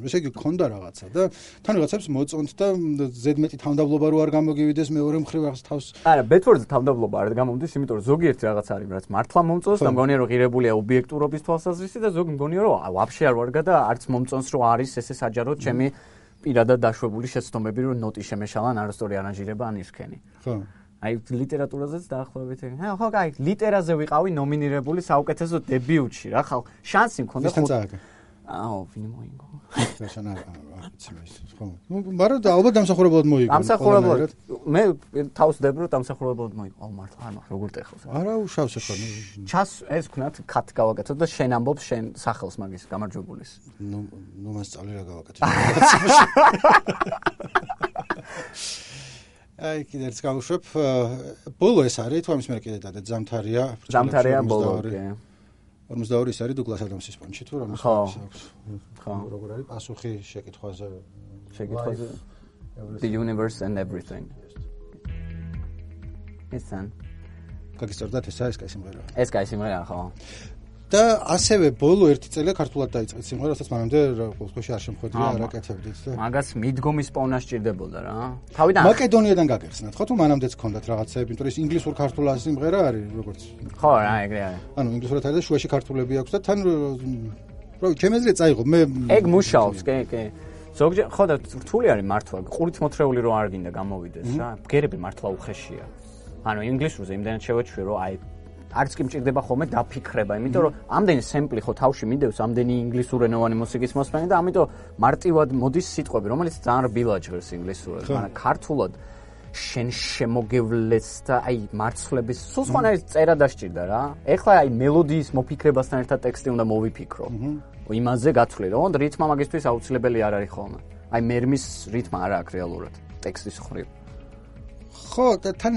ესე იგი გქონდა რაღაცა და თან რაღაცებს მოწონთ და ზედმეტი თავდაბლობა რო არ გამოგივიდეს მეორე მხრივ რაღაც თავს არა ბეთვორზე თავდაბლობა არ გამომდის იმიტომ რომ ზოგიერთი რაღაც არის რაც მართლა მომწონს და მგონია რომ ღირებულია ობიექტურობის თვალსაზრისით და ზოგი მგონია რომ ვაფშე არ ვარგა და არც მომწონს რომ არის ესე საჯაროდ ჩემი პირადად დაშვებული შეცდომები რომ ნოტი შემეშალან არასწორი არანჟირება ან ისქენი ხო აი ლიტერატურაზეც დაახლოებით ეგ ხო აი ლიტერაზე ვიყავი ნომინირებული საუკეთესო დებიუტში რა ხალ შანსი მქონდა ხო აუ ვინ მოიგო შენ არ ვიცი ხო ნუ მაგრამ და ალბათ დამსახურებლად მოიგო დამსახურებლად მე თავს დებ რომ დამსახურებლად მოიგო აუ მართლა არ მაქვს როგორ ტეხავს არა უშავს ხო ჩას ეს ქნათ კატ გავაკეთო და შენ ამბობ შენ სახელს მაგის გამარჯვებულის ნუ ნუ მასწავლე რა გავაკეთე აი კიდე ერთ გავუშვებ ბოლო ეს არის თუ ამის მე კიდე დადე ზამთარია ზამთარია ბოლო კი ორმოცდაორი ის არის დუგლას ადამსის პონჩი თუ რამის აქვს ხო როგორ არის პასუხი შეკითხვაზე შეკითხვაზე the universe and everything ესან გაგისწორდათ ესა ეს კაი სიმღერაა ეს კაი სიმღერაა ხო და ასევე ბოლო ერთი წელი ქართულად დაიწყეთ სიმღერა რასაც მანამდე ყოველთვის არ შემხვედრია არ აკეთებდით და მაგას მიდგომის პოვნა სჭირდებოდა რა თავიდან მაკედონიიდან გაგეხსნათ ხო თუ მანამდეც გქონდათ რაღაცები იმიტომ რომ ეს ინგლისურ ქართულად სიმღერა არის როგორც ხო რა ეგრე არის ანუ ინგლისურად არის და შუაში ქართულები აქვს და თან რო ჩემ ეზრე წაიღო მე ეგ მუშაობს კი კი ზოგჯერ ხო და რთული არის მართლა ყურით მოთრეული რო არ გინდა გამოვიდეს რა ბგერები მართლა უხეშია ანუ ინგლისურზე იმდენად შევეჩვიე რომ აი არც კი მჭირდება ხოლმე დაფიქრება, იმიტომ რომ ამდენი სემპლი ხო თავში მიდევს, ამდენი ინგლისურენოვანი მუსიკის მოსმენი და ამიტომ მარტივად მოდის სიტყვები, რომელიც ძალიან რბილად ჟღერს ინგლისურად, მაგრამ ქართულად შენ შემოგევლეს და აი მარცვლების სულ სხვანაირი წერა დასჭირდა რა. ეხლა აი მელოდიის მოფიქრებასთან ერთად ტექსტი უნდა მოვიფიქრო. იმაზე გაცვლი, რომ რითმა მაგისთვის აუცილებელი არ არის ხოლმე. აი მერმის რითმა არ აქვს რეალურად ტექსტის ხრივ. ხო, და თან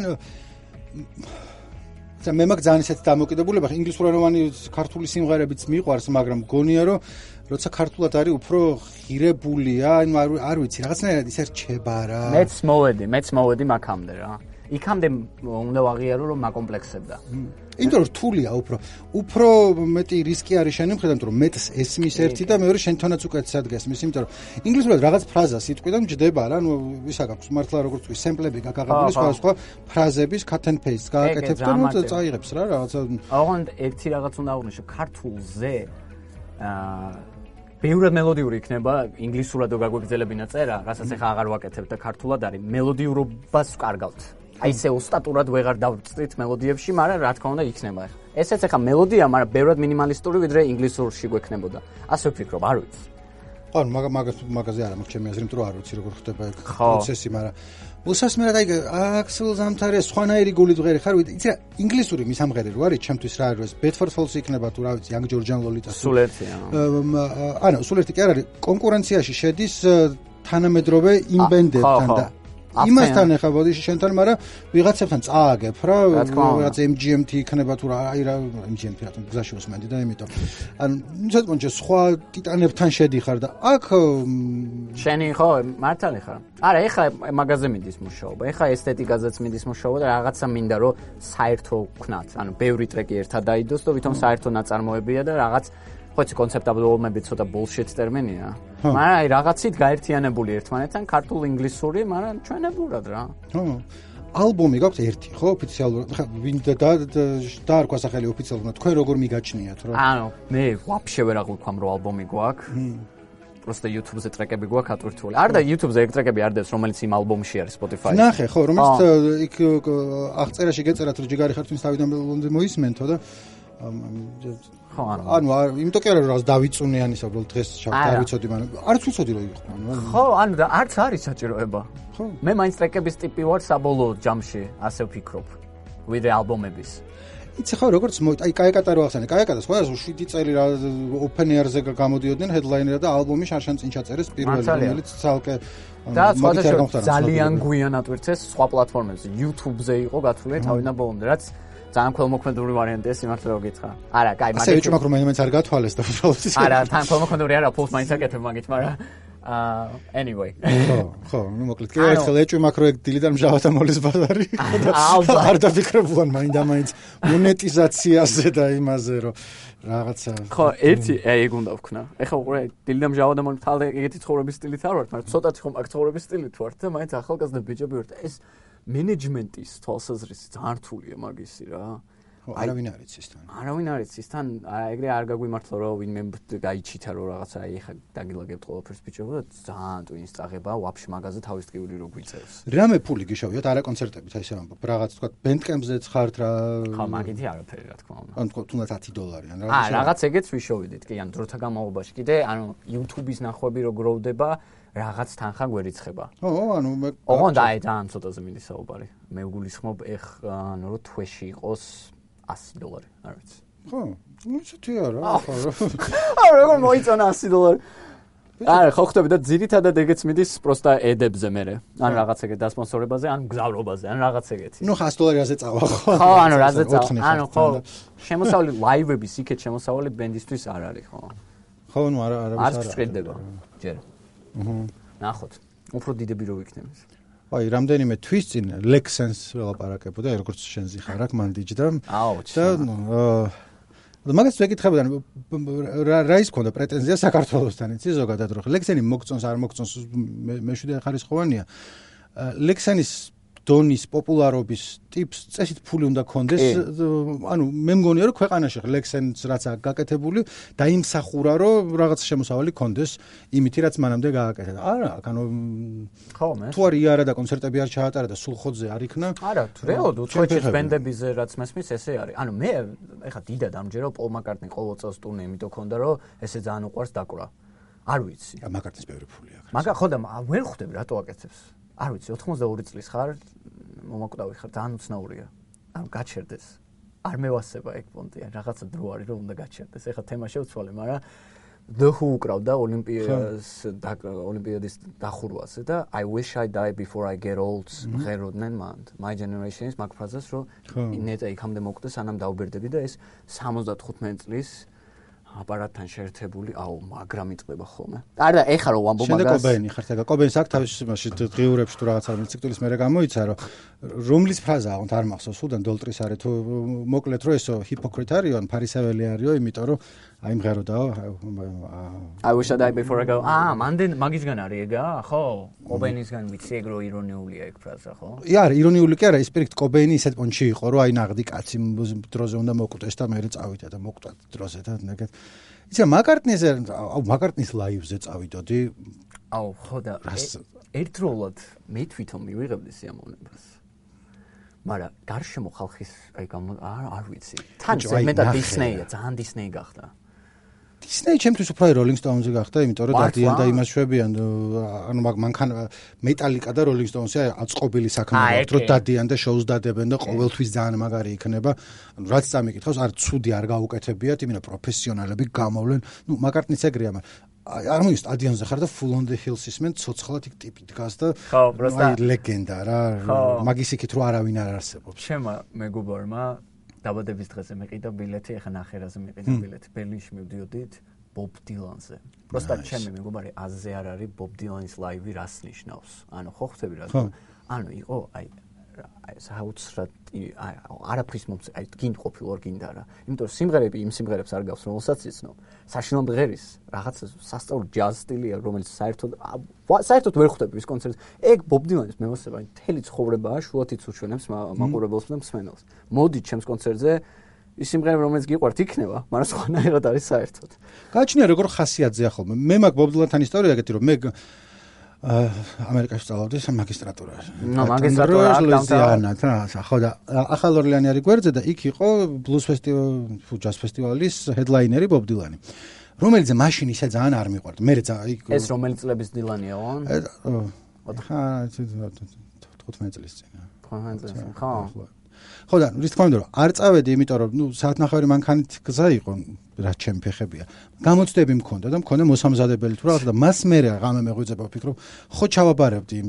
და მე მაგ ძალიან ისეთ დამოკიდებულება ინგლისურენოვანი ქართული სიმღერებიც მიყვარს, მაგრამ გონია რომ როცა ქართულად არის უფრო ღირებულია, ანუ არ ვიცი, რაღაცნაირად ისე რჩება რა. მეც მოვედი, მეც მოვედი მაგამდე რა. იქამდე უნდა ვაღიარო რომ მაკომპლექსებდა. იმიტომ რომ რთულია უფრო. უფრო მეტი რისკი არის შენი მხრიდან, იმიტომ რომ მეტს ესმის ერთი და მეორე შენთანაც უკეთესად გესმის, იმიტომ რომ ინგლისურად რაღაც ფრაზა სიტყვიდან ჯდება რა, ნუ ისა გაქვს მართლა როგორც ვთქვი, სემპლები გაგაღებული სხვა სხვა ფრაზების cut and paste გააკეთებ და ნუ წაიღებს რა რაღაცა. ოღონდ ერთი რაღაც უნდა აღვნიშნო, ქართულზე აა ბევრად მელოდიური იქნება ინგლისურად რო გაგვეგზელებინა წერა, რასაც ახლა აღარ ვაკეთებ და ქართულად არის მელოდიურობას ვკარგავთ. აი ესე ოსტატურად ვეღარ დავწვით მელოდიებში, მაგრამ რა თქმა უნდა იქნება ახლა. ესეც ახლა მელოდია, მაგრამ ბევრად მინიმალისტური ვიდრე ინგლისურში გვექნებოდა. ასე ვფიქრობ, არ ვიცი. ხო, მაგ მაგას მაგაზე არა მაქვს ჩემი აზრი, იმიტომ რომ არ ვიცი როგორ ხდება ეგ პროცესი, მაგრამ უსასმერად აი აქსელ ზამთარია სხვანაირი გულით ვღერი ხარ, იცი რა, ინგლისური მისამღერი რო არის, ჩემთვის რა არის, Bedford Falls იქნება თუ რა ვიცი, Young Georgian Lolita. სულ ერთია. ანუ სულ ერთი კი არ არის, კონკურენციაში შედის თანამედროვე იმ ბენდებთან და იმასთან ახლა ბოდიში შენთან, მაგრამ ვიღაცებთან წააგებ რა, რაღაც M G M T იქნება თუ რა, აი რა M G M T რატომ გზაში უსმენდი და იმიტომ. ანუ ცოტა სხვა ტიტანებთან შედიხარ და აქ შენი ხო, მართალი ხარ. არა, ეხლა მაგაზე მიდის მუშაობა. ეხლა ესთეტიკაზეც მიდის მუშაობა და რაღაცა მინდა რომ საერთო ვქნათ. ანუ ბევრი ტრეკი ერთად დაიდოს და ვითომ საერთო ნაწარმოებია და რაღაც ხოც კონცეპტუალობები ცოტა bullshit ტერმინია. მაგრამ აი რაღაცით გაერთიანებული ერთმანეთთან ქართულ ინგლისური, მაგრამ ჩვენებურად რა. ხო. ალბომი გაქვთ ერთი, ხო, ოფიციალურად. ხა ვინ და დაარქვა სახელი ოფიციალურად, თქვენ როგორ მიგაჩნიათ რა? ანუ მე ვაფშე ვერ აღვიქვამ რომ ალბომი გვაქვს. просто YouTube-ზე ტრეკები გვაქვს ატვირთული. არ და YouTube-ზე ეგ ტრეკები არ დევს, რომელიც იმ ალბომში არის Spotify-ში. ნახე, ხო, რომელიც იქ აღწერაში გეწერათ რომ ჯიგარი ხარ, თუნდაც თავიდან მოისმენთო და ხო ანუ იმიტომ კი არა რომ რაღაც დავიწუნე ანისა უბრალოდ დღეს არ ვიცოდი მაგრამ არც ვიცოდი რომ იყო ანუ ხო ანუ და არც არის საჭიროება ხო მე მაინც ტრეკების ტიპი ვარ საბოლოო ჯამში ასე ვფიქრობ ვიდრე ალბომების იცი ხო როგორც აი კაიკატა რო ახსენე კაიკატა სხვა შვიდი წელი რა open air-ზე გამოდიოდნენ headliner-ად და ალბომი შარშან წინ ჩაწერეს პირველი რომელიც ცალკე და სხვა ძალიან გვიან ატვირთეს სხვა პლატფორმებზე YouTube-ზე იყო გათვლილი თავიდან ბოლომდე რაც ძალიან ქველმოქმედური ვარიანტია სიმართლე რომ გითხრა. არა, კაი, მაგით ასე ვიჭმაკ რომ მაინც არ გათვალეს და უბრალოდ არა, თან ქველმოქმედური არა, ფულს მაინც აკეთებ მაგით, მაგრამ აა anyway. ხო, ხო, ნუ მოკლედ კი ერთხელ ეჭვი მაქვს რომ ეგ დილიდან მჟავათა მოლის ბაზარი. არ დაფიქრებულან მაინდა-მაინც მონეტიზაციაზე და იმაზე რომ რაღაცა. ხო, ერთი ეგ უნდა ვქნა. ეხლა უყურე დილიდან მჟავათა მოლის თალე ეგეთი ცხოვრების სტილით არ ვართ, მაგრამ ცოტათი ხომ აქ ცხოვრების სტილით ვართ და მაინც ახალგაზრდა ბიჭები ვართ. ეს მენეჯმენტის თვალსაზრისით ძალიან რთულია მაგისი რა. არავინ არ იცის თან. არავინ არ იცის თან, ეგრე არ გაგვიმართლა რომ ვინმე გაიჩითა რომ რაღაცა აი ხა დაგილაგებთ ყველაფერს ბიჭებო და ძალიან ტვინის წაღება, ვაფშე მაგაზე თავის ტკივილი რო გვიწევს. რამე ფული გიშოვიათ არა კონცერტებით, აი ესე ვამბობ, რაღაც თქვა Bandcamp-ზეც ხართ რა. ხა მაგითი არაფერი რა თქმა უნდა. ან თქვა თუნდაც ათი დოლარი ან რაღაცა. აა რაღაც ეგეც ვიშოვიდით, კი, ან დროთა განმავლობაში კიდე, ანუ YouTube-ის ნახვები რო გროვდება, რაღაც თანხა გვერიცხება. ო, ანუ მე ოღონდ აი ძალიან ცოტაზე მინდა საუბარი. მე ვგულისხმობ ეხ ანუ რო თვეში იყოს ასი დოლარი, არ ვიცი. ხო, ну ცოტი არა, ხო. აა როგორ მოიწონა ასი დოლარი? არა, ხო ხტები და ძირითადად ეგეც მიდის პროსტა ედებზე მერე. ან რაღაც ეგეთ დასპონსორებაზე, ან გზავრობაზე, ან რაღაც ეგეთი. ну ხას დოლარიაზე წავა ხო? ხო, ანუ რაზე წავა? ანუ ხო, შემოსავლი ლაივების იქეთ შემოსავლი ბენდისთვის არ არის, ხო? ხო, ну არა, არა. არ შეჭდება. ჯერ. აჰა. ნახოთ. უფრო დიდები რო ვიქნებით. აი, რამდენიმე თვის წინ Lexens ველაპარაკებოდა, როგორც შენ ზიხარ აქ მან დიჯდა. აუ, და და მაგას ვეკითხებოდა, რა რა ის ქონდა პრეტენზია საქართველოსთან, იცი ზოგადად რო Lexeni მოგწონს არ მოგწონს მეშვიდე ხარისხოვანია. Lexenis დონის პოპულარობის ტიპს წესით ფული უნდა კონდეს, ანუ მე მგონია რომ ქვეყანაში Lexens რაც აქვს გაკეთებული და იმსახურა რომ რაღაც შემოსავალი კონდეს იმითი რაც მანამდე გააკეთა. არა, ანუ ხო მე. თუ არ იარა და კონცერტები არ ჩაატარა და სულხოძე არ იქნა. არა, რეალურად უცხოეთის ბენდებიზე რაც მესმის ესე არის. ანუ მე ეხა დიდად ამჯერა პოლ მაკარტნი ყოველ წელს ტურნე იმიტომ ქონდა რომ ესე ძალიან უყვარს დაკვრა. არ ვიცი. მაკარტნის ბევრი ფული აქვს. მაგა ხო და ვერ ხვდები რატო აკეთებს. არ ვიცი, ოთხმოცდაორი წლის ხარ, მომაკვდავი ხარ, ძალიან უცნაურია. ანუ გაჩერდეს. არ მევასება ეგ პონტი, რაღაცა დრო არის რომ უნდა გაჩერდეს. ეხლა თემა შევცვალე, მაგრამ The Who უკრავდა ოლიმპიადას ოლიმპიადის დახურვაზე და I wish I die before I get old ღეროდნენ მან. My generation is მაგ ფრაზას რომ ნეტა იქამდე მოკვდეს, სანამ დაუბერდები და ეს სამოცდათხუთმეტი წლის აპარატთან შეერთებული, აუ, მაგრამ იწყდება ხოლმე. არა, ეხა რომ ვამბობ მაგას. შემდეგ კობენი ხართ ეგა. კობენის აქ თავის იმაში დღიურებში თუ რაღაცა მოციქულის მერე გამოიცა, რომ რომლის ფრაზაა, თუნდაც არ მახსოვს, უდან დოლტრის არის თუ მოკლედ რომ ესო ჰიპოკრიტ არისო, ფარისეველი არისო, იმიტომ რომ აი მღეროდაო. I wish I die before I go. აა, მანდენ მაგისგან არის ეგა, ხო? კობენისგან ვიცი ეგ რო ირონიულია ეგ ფრაზა, ხო? ია, ირონიული კი არა, ის პირიქით კობენი ისეთ პონჩი იყო, რომ აი ნაღდი კაცი დროზე უნდა მოკვდეს და მე წავიდა და მოკვდა დროზე და ეგეთ. იცი მაკარტნიზე, აუ მაკარტნის ლაივზე წავიდოდი. აუ, ხო და ერთდროულად მე თვითონ მივიღებდი სიამოვნებას. მაგრამ გარშემო ხალხის აი არ არ ვიცი. თან მეტად დისნეია, ძალიან დისნეი გახდა. დისნეი ჩემთვის უფრო Rolling Stones-ი გახდა, იმიტომ რომ დადიან და იმას შვებიან, ანუ მანქან მეტალიკა და Rolling Stones-ი აწყობილი საქმე აქვს, რომ დადიან და შოუს დადებენ და ყოველთვის ძალიან მაგარი იქნება. ანუ რაც წამიკითხავს, არ ცუდი არ გაუკეთებიათ, იმენა პროფესიონალები გამოვლენ. ნუ მაკარტნიც ეგრეა, მაგრამ არ მოი სტადიონზე ხარ და Full on the Hills ისმენ ცოცხლად იქ ტიპი დგას და აი ლეგენდა რა, მაგის იქით რო არავინ არ არსებობს. ჩემმა მეგობარმა დაბადების დღეზე მეყიდა ბილეთი, ეხა ნახერაზე მეყიდა ბილეთი. ბერლინში მივდიოდით ბობ დილანზე. პროსტა ჩემი მეგობარი აზზე არ არის ბობ დილანის ლაივი რას ნიშნავს. ანუ ხო ხვდები რა. ანუ იყო აი აი საოცრად აი არაფრის მომწე აი გინ ყოფილვარ გინდა რა. იმიტომ რომ სიმღერები იმ სიმღერებს არ გავს რომელსაც იცნობ. საშინელ მღერის რაღაც სასწაული ჯაზ სტილია რომელიც საერთოდ საერთოდ ვერ ხვდები ის კონცერტს. ეგ ბობ დილანის მემოსება აი მთელი ცხოვრებაა შუათიც უჩვენებს მაყურებელს და მსმენელს. მოდით ჩემს კონცერტზე ის სიმღერები რომელიც გიყვართ იქნება, მაგრამ სხვანაირად არის საერთოდ. გააჩნია როგორ ხასიათზეა ხოლმე. მე მაგ ბობ დილანთან ისტორია ეგეთი რომ მე ამერიკაში სწავლობდი მაგისტრატურაში. ნუ მაგისტრატურა ლუიზიანა, ხო და ახალ ორლეანი არის გვერდზე და იქ იყო ბლუზ ფესტივალი, ჯაზ ფესტივალის ჰედლაინერი ბობ დილანი. რომელიც მაშინ ისე ძალიან არ მიყვარდა. მე იქ ეს რომელი წლების დილანია, ხო? თხუთმეტი წლის წინ. ხო. ხო და რის თქმა უნდა რომ არ წავედი, იმიტომ რომ ნუ საათნახევარი მანქანით გზა იყო, რაც ჩემი ფეხებია. გამოცდები მქონდა და მქონდა მოსამზადებელი თუ რაღაც და მას მერე ღამე მეღვიძება ვფიქრობ, ხო ჩავაბარებდი იმ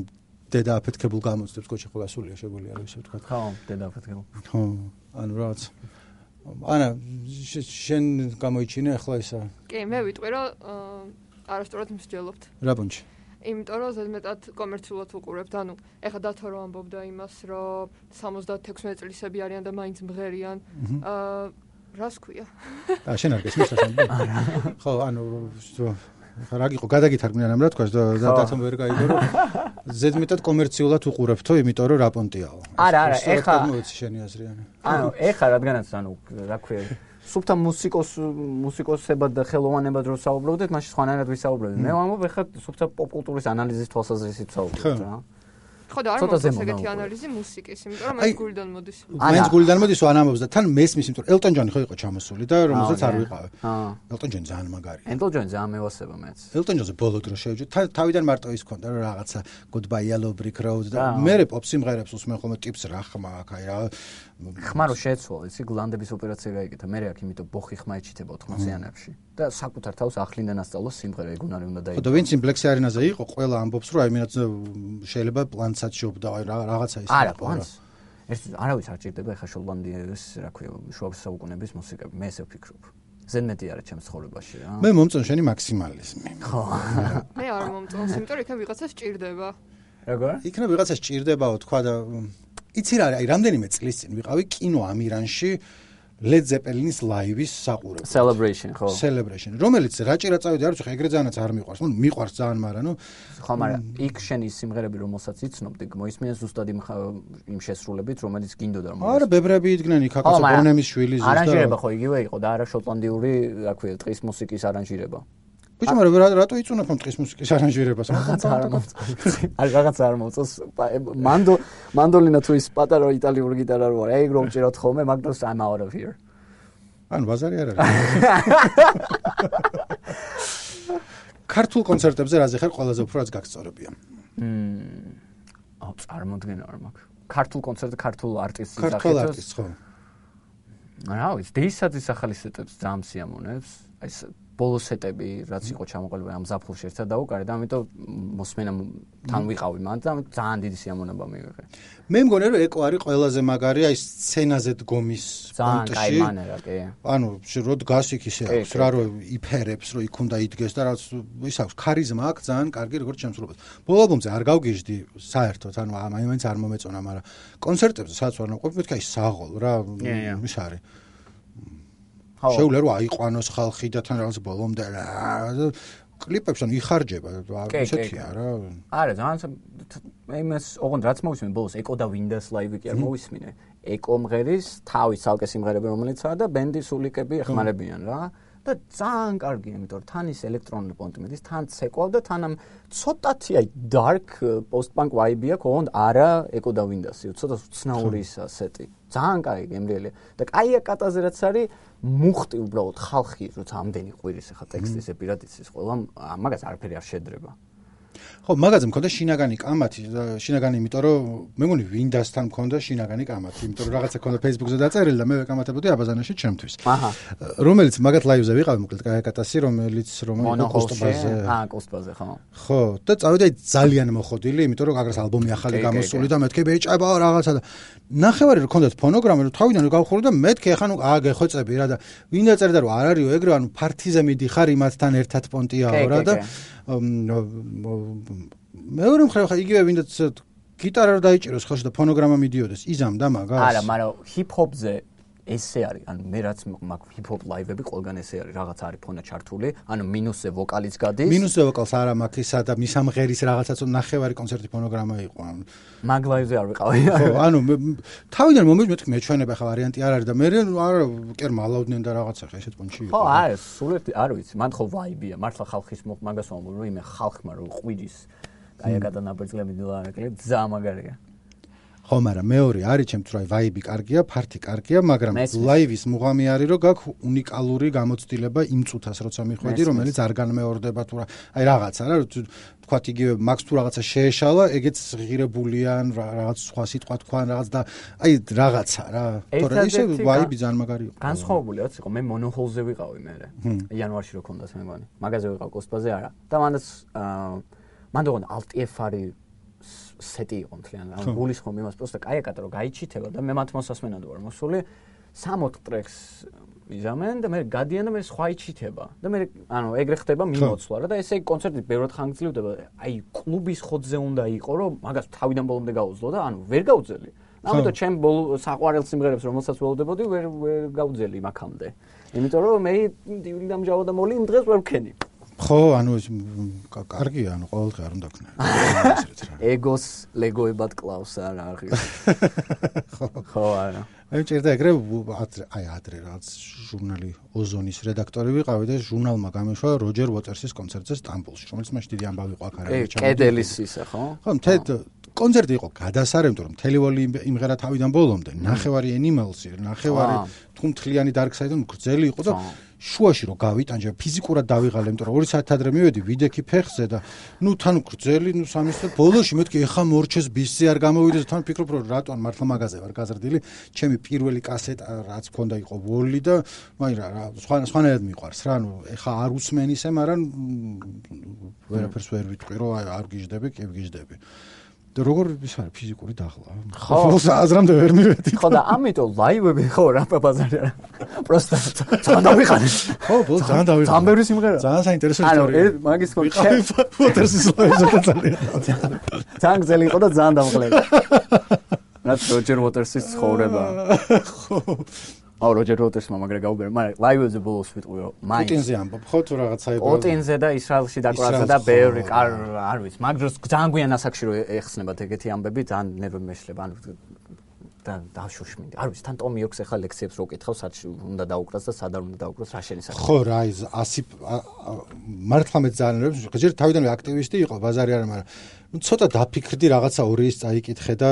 დედა აფეთქებულ გამოცდებს, კოჩი ხო გასულია შეგვიძლია რომ ისე ვთქვა. ხო, დედა აფეთქებულ. ხო, ანუ რაღაც ანა შენ გამოიჩინე ახლა ისა? კი, მე ვიტყვი რომ არასწორად მსჯელობთ. რა პუნჩი? იმიტომ რომ ზედმეტად კომერციულად უყურებთ. ანუ ეხლა დათო რო ამბობდა იმას, რომ სამოცდათექვსმეტ წლისები არიან და მაინც მღერიან. აა რას ქვია? აა შენ არ გესმის ასე? ხო, ანუ რა გიყო გადაგითარგმნიან ამ რა თქვას და დათომ ვერ გაიგო რომ ზედმეტად კომერციულად უყურებთო, იმიტომ რომ რა პონტიაო. არა, არა, ეხლა მოიცი შენი აზრი ანუ. ანუ ეხლა რადგანაც ანუ რა ქვია სუფთა მუსიკოს მუსიკოსებად და ხელოვანებად რო საუბრობდეთ, მაშინ სხვანაირად ვისაუბრებთ. მე ვამბობ ეხლა სუფთა პოპკულტურის ანალიზის თვალსაზრისით საუბრობთ რა. ხო და არ მოხდა ეგეთი ანალიზი მუსიკის, იმიტომ რომ მაინც გულიდან მოდის. მაინც გულიდან მოდის ან ამბობს და თან მესმის, იმიტომ რომ ელტონ ჯონი ხო იყო ჩამოსული და რომელსაც არ ვიყავე. ელტონ ჯონი ძალიან მაგარია. ელტონ ჯონი ძალიან მევასება მეც. ელტონ ჯონზე ბოლო დრო შევეჯო. თავიდან მარტო ის ქონდა რომ რაღაცა Goodbye Yellow Brick Road და მე პოპ სიმღერებს უსმენ ხოლმე ტიპს რა ხმა აქ აი რა ხმა რო შეეცვალა, იცი გლანდების ოპერაცია გაიგეთა. მე აქ იმიტომ ბოხი ხმა ეჩითება ოთხმოციანებში და საკუთარ თავს ახლიდან ასწავლოს სიმღერა ეგონარი უნდა დაიგო. ხო და ვინც იმ Black Sea Arena-ზე იყო, ყველა ამბობს რომ აი მენაც შეიძლება პლანსაც შობდა აი რაღაცა ის. არა, პლანს. ეს არავის არ ჭირდება ეხა შოტლანდიის, რა ქვია, შუა საუკუნეების მუსიკები. მე ესე ვფიქრობ. ზედმეტი არა ჩემს ცხოვრებაში რა. მე მომწონს შენი მაქსიმალიზმი. ხო. მე არ მომწონს, იმიტომ რომ იქ ვიღაცას ჭირდება. როგორ? იქ ვიღაცას ჭირდებაო თქვა და იცი რა, აი რამდენიმე წლის წინ ვიყავი კინო ამირანში Led Zeppelin-ის ლაივის საყურებლად. Celebration, ხო. Celebration, რომელიც რაჭირა წავიდი, არ ვიცი, ხა ეგრე ძალიანაც არ მიყვარს. ნუ მიყვარს ძალიან, მაგრამ ნუ ხო, მაგრამ იქ შენი სიმღერები რომელსაც იცნობდი, მოისმინე ზუსტად იმ იმ შესრულებით, რომელიც გინდოდა რომ. არა, ბებრები იდგნენ იქ აკაცო ბონემის შვილი ზუსტად. არანჟირება ხო იგივე იყო და არა შოტლანდიური, რა ქვია, ტყის მუსიკის არანჟირება. ბიჭო, მაგრამ რატო იწუნათ ამ ტყის მუსიკის არანჟირებას? არ რაღაცა არ მოწონს. მანდო მანდოლინა თუ ის პატარა იტალიური გიტარა რო არის, ეგ რომ ჭიროთ ხოლმე, მაგდროს I'm out of here. ანუ ბაზარი არ არის. ქართულ კონცერტებზე რაზე ხარ ყველაზე უფრო რაც გაგწორებია? მმ. აუ, წარმოდგენა არ მაქვს. ქართულ კონცერტზე ქართულ არტისტის სახეთოს. ქართულ არტისტს ხო. რა ვიცი, დეისაძის ახალი სეტებს ძალიან სიამოვნებს. აი ბოლო სეტები რაც იყო ჩამოყალიბებული ამ ზაფხულში ერთად დაუკარეთ და ამიტომ მოსმენა თან ვიყავი მან და ძალიან დიდი სიამოვნება მივიღე. მე მგონი რომ ეკო არის ყველაზე მაგარი აი სცენაზე დგომის პონტში. ძალიან კაი მანერა კი. ანუ რო დგას იქ ისე აქვს რა რომ იფერებს რომ იქ უნდა იდგეს და რაც ის აქვს ქარიზმა აქვს ძალიან კარგი როგორც შემსრულებას. ბოლო ალბომზე არ გავგიჟდი საერთოდ ანუ მაინც არ მომეწონა, მაგრამ კონცერტებზე სადაც ვარ ნაყოფი მეთქი აი საღოლ რა ის არის. შეუძლია რომ აიყვანოს ხალხი და თან რაღაც ბოლომდე რა კლიპებს ან იხარჯება ესეთია რა. არა, ძალიან იმას ოღონდ რაც მოვისმინე ბოლოს ეკო და ვინდას ლაივი კი არ მოვისმინე. ეკო მღერის თავის ცალკე სიმღერები რომელიცაა და ბენდის სულიკები ეხმარებიან რა. და ძალიან კარგია, იმიტომ რომ თან ის ელექტრონული პონტი მედის, თან ცეკვავ და თან ამ ცოტათი აი dark post-punk vibe აქვს, ოღონდ არა ეკო და ვინდასი, ცოტა ცნაური ისა სეტი. ძალიან კაი გემრიელია. და კაია კატაზე რაც არის მუხტი უბრალოდ ხალხი როცა ამდენი ყვირის ახლა ტექსტის ეპირად იცის ყველა მაგას არაფერი არ შედრება. ხო, მაგაზე მქონდა შინაგანი კამათი და შინაგანი იმიტომ რომ მე მგონი ვინდასთან მქონდა შინაგანი კამათი, იმიტომ რომ რაღაცა მქონდა Facebook-ზე დაწერილი და მე ვეკამათებოდი აბაზანაში ჩემთვის. აჰა. რომელიც მაგათ ლაივზე ვიყავი მოკლედ კაიკატასი, რომელიც რომელიც კოსტბაზე. აა, კოსტბაზე, ხო. ხო, და წავედი აი ძალიან მოხოდილი, იმიტომ რომ აგრას ალბომი ახალი გამოსული და მეთქი ბეჭება რაღაცა და ნახევარი რო ქონდათ ფონოგრამა, რომ თავიდან რო გავხურო და მეთქი ახლა ნუ აგეხოცები რა და ვინდა წერდა რომ არ არისო ეგრე, ანუ ფართიზე მიდიხარ იმათთან ერთად პონტიაო რა და მეორე მხრივ ხა იგივე ვინდაც გიტარა დაიჭიროს ხელში და ფონოგრამა მიდიოდეს იზამ და მაგას. არა, მაგრამ ჰიპ-ჰოპზე ესე არის, ანუ მე რაც მაქვს ჰიპ-ჰოპ ლაივები ყველგან ესე არის, რაღაც არის ფონა ჩართული, ანუ მინუსზე ვოკალიც გადის. მინუსზე ვოკალს არა მაქვს ისა და მისამღერის რაღაცაც ნახევარი კონცერტი ფონოგრამა იყო. მაგ ლაივზე არ ვიყავი. ხო, ანუ თავიდან მომიჯ მეთქი მეჩვენება ხა ვარიანტი არ არის და მე არა კერ მალავდნენ და რაღაცა ხა ესეთ პონჩი იყო. ხო, არა, სულეთ არ ვიცი, მან ხო ვაიბია, მართლა ხალხის მაგას ვამბობ, რომ იმე ხალხმა რო ყვირის აი გადანაბერძლები დილარაკლებ ძალიან მაგარია. ხო, მაგრამ მეორე არის ჩემთვის რა ვაიბი კარგია, ფართი კარგია, მაგრამ ლაივის მუღამი არის რომ გაქვს უნიკალური გამოცდილება იმ წუთას როცა მიხვედი, რომელიც არ განმეორდება თუ რა. აი რაღაცა რა, თქვათ იგივე მაქს თუ რაღაცა შეეშალა, ეგეც ღირებულია, რაღაც სხვა სიტყვა თქვა, რაღაც და აი რაღაცა რა. თორე ისე ვაიბი ძალიან მაგარი იყო. განსხვავებული რაც იყო, მე მონოჰოლზე ვიყავი მე. იანვარში რო ქონდას მე მგონი. მაგაზე ვიყავ კოსპაზე არა. და მანდაც მანდ ოღონდ ალტიეფ არის სეტი იყო მთლიან. ანუ გულის ხომ იმას პროსტა კაია კატა რო გაიჩითება და მე მათ მოსასმენად ვარ მოსული სამოთხ ტრეკს მიზამენ და მე გადიან და მე სხვა იჩითება და მე ანუ ეგრე ხდება მიმოცვლა რა და ესე იგი კონცერტი ბევრად ხანგრძლივდება აი კლუბის ხოთზე უნდა იყო რომ მაგას თავიდან ბოლომდე გაუძლო და ანუ ვერ გაუძელი ამიტომ ჩემ ბოლო საყვარელ სიმღერებს რომელსაც ველოდებოდი ვერ ვერ გაუძელი მაგამდე იმიტომ რომ მე დიული დამჟავა და მოლი იმ დღეს ვერ ვქენი ხო ანუ კარგია ანუ ყოველდღე არ უნდა ქნა ეგოს ლეგოებად კლავს არა აღი ხო არა მე ჭირდა ეგრე აი ადრე რაღაც ჟურნალი ოზონის რედაქტორი ვიყავი და ჟურნალმა გამეშვა როჯერ უოტერსის კონცერტზე სტამბოლში რომელიც მაშინ დიდი ამბავი იყო აქ არის კედელის ისა ხო ხო მთედ კონცერტი იყო გადასარევი რომ თელევოლი იმღერა თავიდან ბოლომდე ნახევარი Animals-ი ნახევარი თუ მთლიანი Dark Side-ი გრძელი იყო და შუაში რო გავიტანჯე ფიზიკურად დავიღალე იმიტომ რომ ორი საათი ადრე მივედი ვიდექი ფეხზე და ნუ თან გრძელი ნუ სამის და ბოლოში მეთქი ეხა მორჩეს ბისზე არ გამოვიდეს თან ფიქრობ რომ რატომ მართლა მაგაზე ვარ გაზრდილი ჩემი პირველი კასეტა რაც მქონდა იყო ვოლი და მაგრამ რა სხვა სხვანაირად მიყვარს რა ნუ ეხა არ უსმენ ისე მაგრამ ვერაფერს ვერ ვიტყვი რომ არ გიждები კი ვგიждები და როგორ ის არის ფიზიკური დახლა ხო აზრამდე ვერ მივედი ხო და ამიტომ ლაივები ხო რა ბაზარი არა პროსტა ძალიან დავიყარე ხო ბოლოს ძალიან დავიყარე ძალიან ბევრი სიმღერა ძალიან საინტერესო ისტორია ანუ მაგის ხო უოტერსის ლაივზე ძალიან ძალიან გზელი იყო და ძალიან დამღლელი რაც როჯერ უოტერსის ცხოვრება ხო აუ როჯერ უოტერსმა მაგრა გაუბერა მაგრამ ლაივებზე ბოლოს ვიტყვი რომ მაინც პუტინზე ამბობ ხო თუ რაღაცა იყო პუტინზე და ისრაელში დაკვრაზე და ბევრი არ ვიცი მაგ დროს ძალიან გვიან ასაკში რო ეხსნებათ ეგეთი ამბები ძალიან ნერვები მეშლება ანუ და დაშოშმინდი არ ვიცი თან ტომი ოქს ახლა ლექციებს რო კითხავს სად უნდა დაუკრას და სად არ უნდა დაუკრას რა შენის ხო რა ის ასი მართლა მე ძალიან ნერვებს ჯერ თავიდანვე აქტივისტი იყო ბაზარი არა მაგრამ ნუ ცოტა დაფიქრდი რაღაცა ორი ის წაიკითხე და